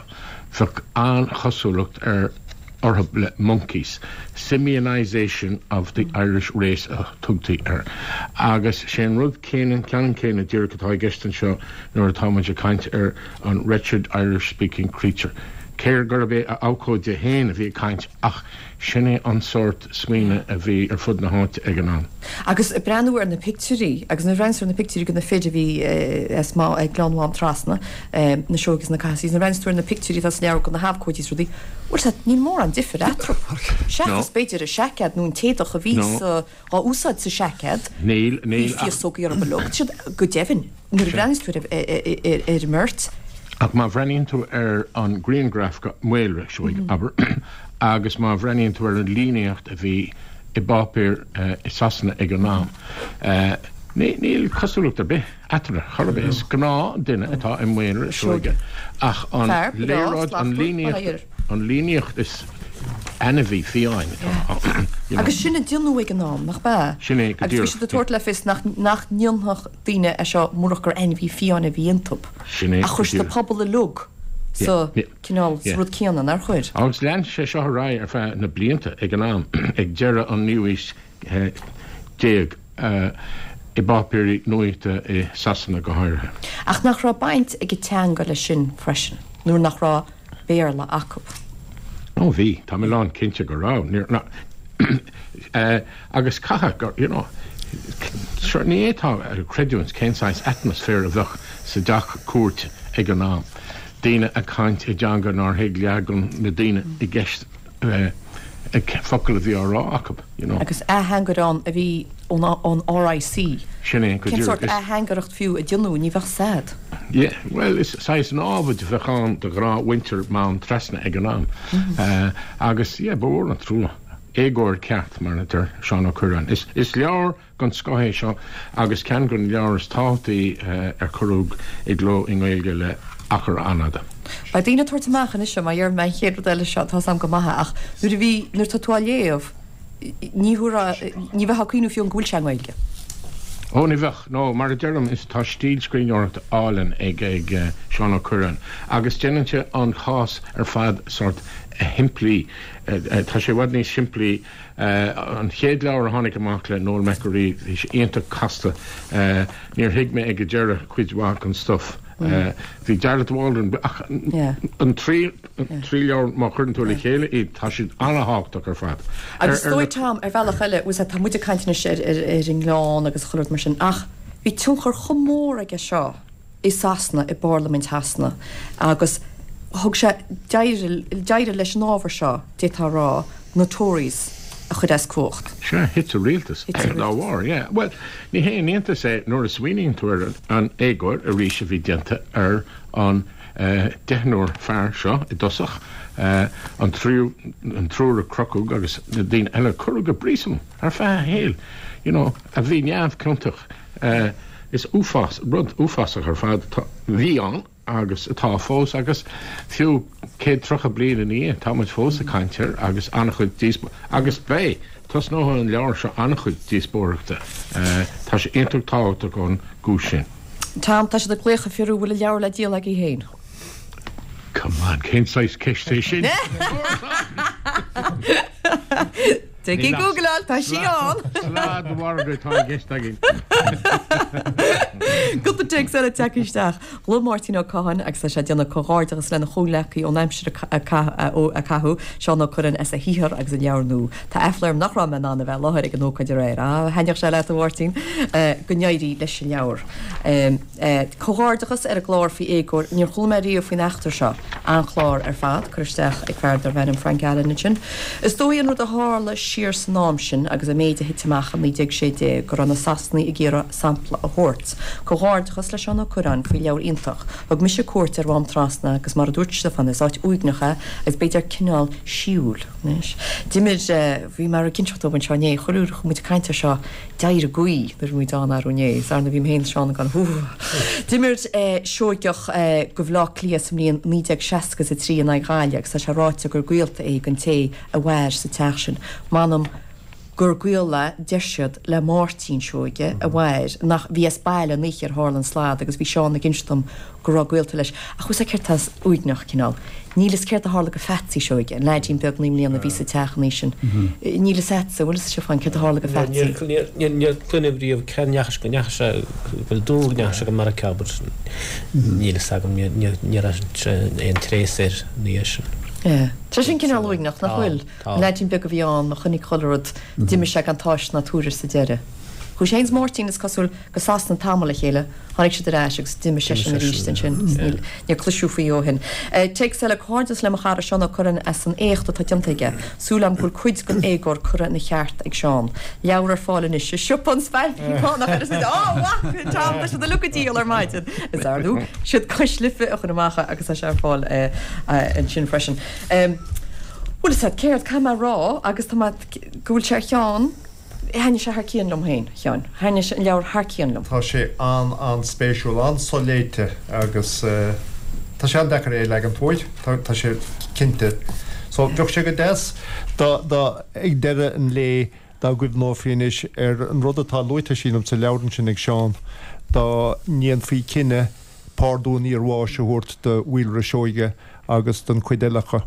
bheadh an-chosúlacht ar orthu le monkeys. Simianisation of the Irish race a tugtaí air. Agus sé an rud céanna, ceannann céanna díreach atá i gceist anseo nuair atá muid ag caint ar an wretched Irish-speaking creature. Cé gurb é a abhcóide féin a bhí ag caint ach sin é an sórt smaoineamh a bhí ar fud na háite ag an am. Agus ag breathnú ar na pictiúirí, agus nuair a bhreathnaíos ar na pictiúirí de na fir a bhí as Gleann Mhám Trasna, na Seoighe is na Cathasaighs, nuair a bhreathnaíos tú ar na pictiúirí atá sa leabhar de na habhcóidí is rudaí, bhuel sea, níl mórán difir eatarthu. Seachas b'fhéidir an seaicéad nó an t-éadach a bhí sa, á úsáid sa seaicéad. Níl, níl ach. Bhí féasógaí orthu uilig. Tá siad, go deimhin, nuair a bhreathnaíos tú ar ar an mbeirt. Ach má bhreathnaíonn tú ar an grianghraf go Maolra Seoige, abair, agus má bhreathnaíonn tú ar an líníocht a bhí i bpáipéir i Sasana ag an am, níl cosúlacht ar bith eatarthu, chor ar bith. Is gnáthdhuine atá i Maolra Seoige, ach an léaráid, an líníocht, an líníocht is ainmhí fiáin atá ann. Agus sin a déanadh ag an am, nach b'ea? Sin é go Agus bhí díreach. siad ag tabhairt le fios nach nach ndéanfadh daoine é seo murach gur ainmhí fiáin a bhí iontu. Sin é Ach go chuir siad an díreach. pobal uilig sa cineál, sa rud céanna, nár chuir? Agus lean sé seo ar aghaidh ar feadh na blianta ag an am, ag deireadh an naoú haois déag, i bpáipéirí nuaíochta i Sasana go háirithe. Ach nach raibh baint ag an teanga leis sin freisin, nuair nach raibh Béarla acu? Ó bhí, tá mé lán cinnte go raibh. Níor, ná, agus caithfidh gur, you know, sure, ní fhéadfá a chreidiúint cén saghas atmaisféar a bheadh sa dteach cúirte ag an am, daoine ag caint i dteanga nár thuig leath de na daoine i gceist focal a bhí á rá acu, you know. Agus ateangaire ann a bhí ón ón RIC. Sin é, go Cén díreach. sórt Is. ateangaireacht fiú a déanadh, ní bheadh 's a'd. Yeah, bhuel, is saghas námhaid a bheadh ann do ghnáthmhuintir Mám Trasna ag an am. Agus, yeah, ba mhór an trua. Éagóir ceart, mar a deir Seán Ó Cuirreáin. Is, is leabhar den scoth é seo agus ceann de na leabhair is tábhachtaí ar cuireadh i gcló i nGaeilge le achar an-fhada. Beidh daoine ag tabhairt amach anois seo, mar dhéarfaidh mé an chéad rud eile seo, tá's a'm go maith é, ach nuair a bhí, nuair atá tú á léamh, ní thabharfá, ní bheifeá ag cuimhniú fiú go bhfuil sé i nGaeilge. Ó, ní bheadh, nó mar a deirim, is tá stíl scríbhneoireachta álainn ag ag Seán Ó Cuirreáin agus déanann sé an chás ar fad sórt a shimplí. Tá sé i bhfad níos simplí. An chéad leabhar a tháinig amach le Noel McAree, bhí sé iontach casta. Níor thuig mé ag an deireadh cuid mhaith den stuif. Bhí Jarlath Waldron, ach an trí trí leabhar má chuireann tú le chéile iad, tá siad an-thábhachtach ar fad. Agus is dóigh Tom, ar bhealach eile, bhfuil tá muid ag caint anois ar ar ar an nGleann agus chuile rud mar sin, ach bhí tionchar chomh mór aige seo i Sasana, i bParlaimint Shasana, agus thug sé d'éirigh d'éirigh leis an ábhar seo, d'fhéadfá a rá, na Tories a chur as cumhacht. Sea, thit an rialtas dá bharr, yeah. Bhuel, ní haon iontas é nuair a smaoiníonn tú ar an éagóir arís a bhí déanta ar an deichniúr fear seo i dtosach, an triúr, an triúr a crochadh agus na daoine eile a cuireadh go príosún ar feadh a shaoil, you know, a bhí neamhchiontach. Is uafás, rud uafásach ar fad a bhí ann agus atá fós agus fiú céad tríocha bliain ina dhiaidh tá muid fós ag caint air agus an-chuid díospóireachta agus beidh, tosnóidh an leabhar seo an-chuid díospóireachta. Tá sé iontach tábhachtach ón gcúis sin. Tom, tá siad ag glaoch ag fiafraí an bhfuil an leabhar le díol agaibh féin. Come on, cén saghas ceist é sin? Téigh ag googleáil, tá sí ann! Sladmhargadh atá i gceist againn. Cúpla téacs eile tagtha isteach. Ghlaoigh Máirtín Ó Catháin agus tá sé ag déanamh comhghairdeachas lena chomhghleacaí ón aimsir a caitheadh, Seán Ó Cuirreáin as a shaothar agus a leabhar nua. Tá aiféala orm nach raibh mé in ann a bheith i láthair ag an ócáid aréir. Ah, thaitneodh sé leat a Mháirtín. Go n-éirí leis an leabhar. Comhghairdeachas ar an gclár faoi éagóir. Níor chuala mé riamh faoin eachtra seo. An-chlár ar fad, curtha isteach ag fear darbh ainm Frank Allen ansin. Is dóigh an rud a tharla siar san am sin agus an méid a thit amach i naoi déag sé déag go raibh na Sasanaigh ag iarraidh sampla a thabhairt. Comhghairdeachas le Seán Ó Cuirreáin faoi leabhar iontach. Thug mise cuairt ar Mhám Trasna agus mar a dúirt Stiofán is áit uaigneach é agus b'fhéidir cineál síúil. Anois, d'imir, bhí mé ag inseacht dóibh anseo inné, chuile uair a chuaigh muid ag caint air seo, d'éirigh gaoth nuair a bhí muid ann arú inné, is ar ndóigh bhí mé féin is Seán ag gabháil hú. D'imir Seoigeach do Bhaile Átha Cliath sa mbliain naoi déag seasca is a trí in aghaidh Ghaillimh agus tá sé ráite gur gaolta é don té a mhair sa teach sin. M'anam gur gaol é, deir siad, le Máirtín Seoige a mhair, nach, bhí as baile an oíche ar tharla an slad agus bhí Seán ag inse dom go raibh gaolta leis. Ach bhfuil 's a'd céard tá uaigneach, cineál. Níl 'fhios céard a tharla go Pheatsaí Seoige, an leaidín beag naoi mbliana a bhí sa teach an oíche sin. Níl 'fhios a'dsa, bhfuil 'fhios a'd Stiofán, céard a tharla go Pheatsaí? Níor, níor cluineadh riamh cá ndeachaigh, go ndeachaigh sé, bhuel dúradh go ndeachaigh sé go Meiriceá but níl 'fhios agam, níor, níor, níor aon tréas air ina dhiaidh sin. Yeah. Tá sin cineál uaigneach, nach Tá, bhfuil? tá. An leaidín beag a bhí ann, a chonaic chuile rud, d'imigh sé gan tásc ná tuairisc sa deireadh. Chuaigh sé féin is Máirtín, is cosúil, go Sasana tamall le chéile, tháinig siad ar ais agus d'imigh seisean arís ansin. Níor cloiseadh faoi ó shin. Téacs eile, Comhghairdeas le mo chara Seán Ó Curráin as an éacht atá déanta aige. Súil agam go bhfuil cuid den éagóir curtha ina cheart ag Seán. Leabhar ar fáil anois i Siopa an Spailpín Fánach ar Á, mhaith, Tom, tá siad uilig á dhíol ar maidin. Is ar ndóigh, siad Cois Life a chuir amach é agus tá sé ar fáil ansin freisin. Bhuel, is ea, céard, caithfidh mé a rá agus tá mé, go bhfuil sé ar cheann, Thaitnigh sé thar cionn liom féin, a Sheáin. Thaitnigh an leabhar thar cionn liom. Tá sé an-an-spéisiúil, an-soléite agus tá sé an-deacair é a leagan uait, tá sé cinnte. So, bheadh sé go deas dá, dá, ag deireadh an lae, dá gcuimhneofaí anois ar an rud atá luaite, sílim, sa leabhar ansin ag Seán, dá ndéanfaí cinneadh pardún iarbháis a thabhairt do Mhaolra Seoige agus don chuid eile acu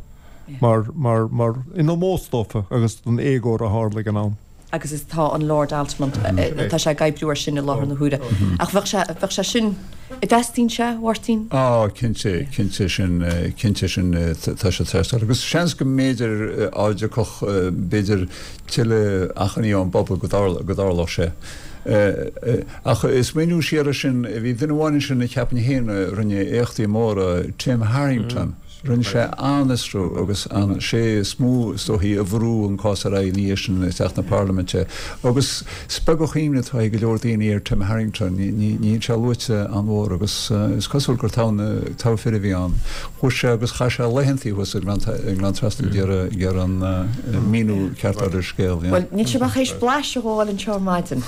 mar, mar, mar, in ómós dófa agus don éagóir a tharla ag an am. agus is tá an Lord Altamont, tá sé ag oibriú air sin i láthair na huaire. Ach bheadh sé, bheadh sé sin, an dteastaíonn sé, a Mháirtín? Á, cinnte, cinnte sin, cinnte sin, tá sé ag teastáil. Agus seans go mb'fhéidir á dtiocfadh, b'fhéidir, tuilleadh achainí ón bpobal go dtarlódh sé. Ach ag smaoineamh siar air sin, bhí duine amháin ansin a cheapfainn féin a rinne éachtaí móra, Tim Harrington. Rinne sé an-fhiosrú agus an sé is mó is dóichí a bhrú an cás ar aghaidh ina dhiaidh sin isteach na Parlaiminte. Agus is beag an chuimhne atá ag go leor daoine ar Tim Harrington. Níl sé luaite an-mhór agus is cosúil gur togha fir a bhí ann. Chuaigh sé agus chaith sé laethantaí thuas i nGleann Trasna ag iarraidh an míniú ceart a fháil ar an scéal. Bhuel, níl sibh ach théis blaiseadh a fháil anseo ar maidin.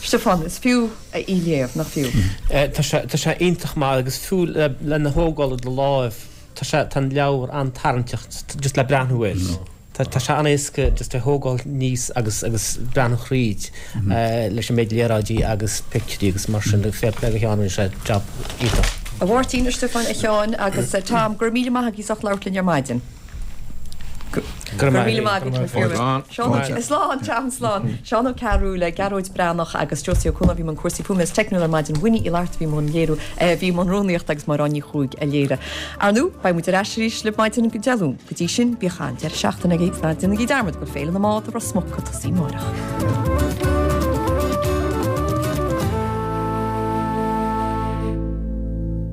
Stiofán, is fiú é a léamh, nach fiú? Tá sé iontach maith agus fiú lena thógáil i do láimh. Tá sé, tá an leabhar an-tarraingteach just le breathnú air. Tá, tá sé an-éasca just é thógáil aníos agus, agus breathnú thríd leis an méid léaráidí agus pictiúirí agus mar sin. Fair play do Sheán, rinne sé jab iontach. A Mháirtín, a Stiofáin, a Sheáin agus Tom, go raibh míle maith agaibh as ucht labhairt linn ar maidin. Go raibh míle maith agat, Seán. Slán, Tom, slán. Seán Ó Cearúil, Gearóid Breathnach agus Josie Ó Cualáin a bhí i mbun cúrsaí fuaime is teicniúil ar maidin. Winnie Uí Fhlatharta a bhí i mbun léiriú, a bhí i mbun rúnaíochta agus Máire Áine Ní Chuaig a léirigh. Ar ndóigh, beidh muid ar ais arís libh maidin Dé Luain. Go dtí sin, bíodh an-deireadh seachtaine agaibh agus ná déanaigí dearmad go bhfuil Féile na mBád i Ros Muc ag tosaí amárach.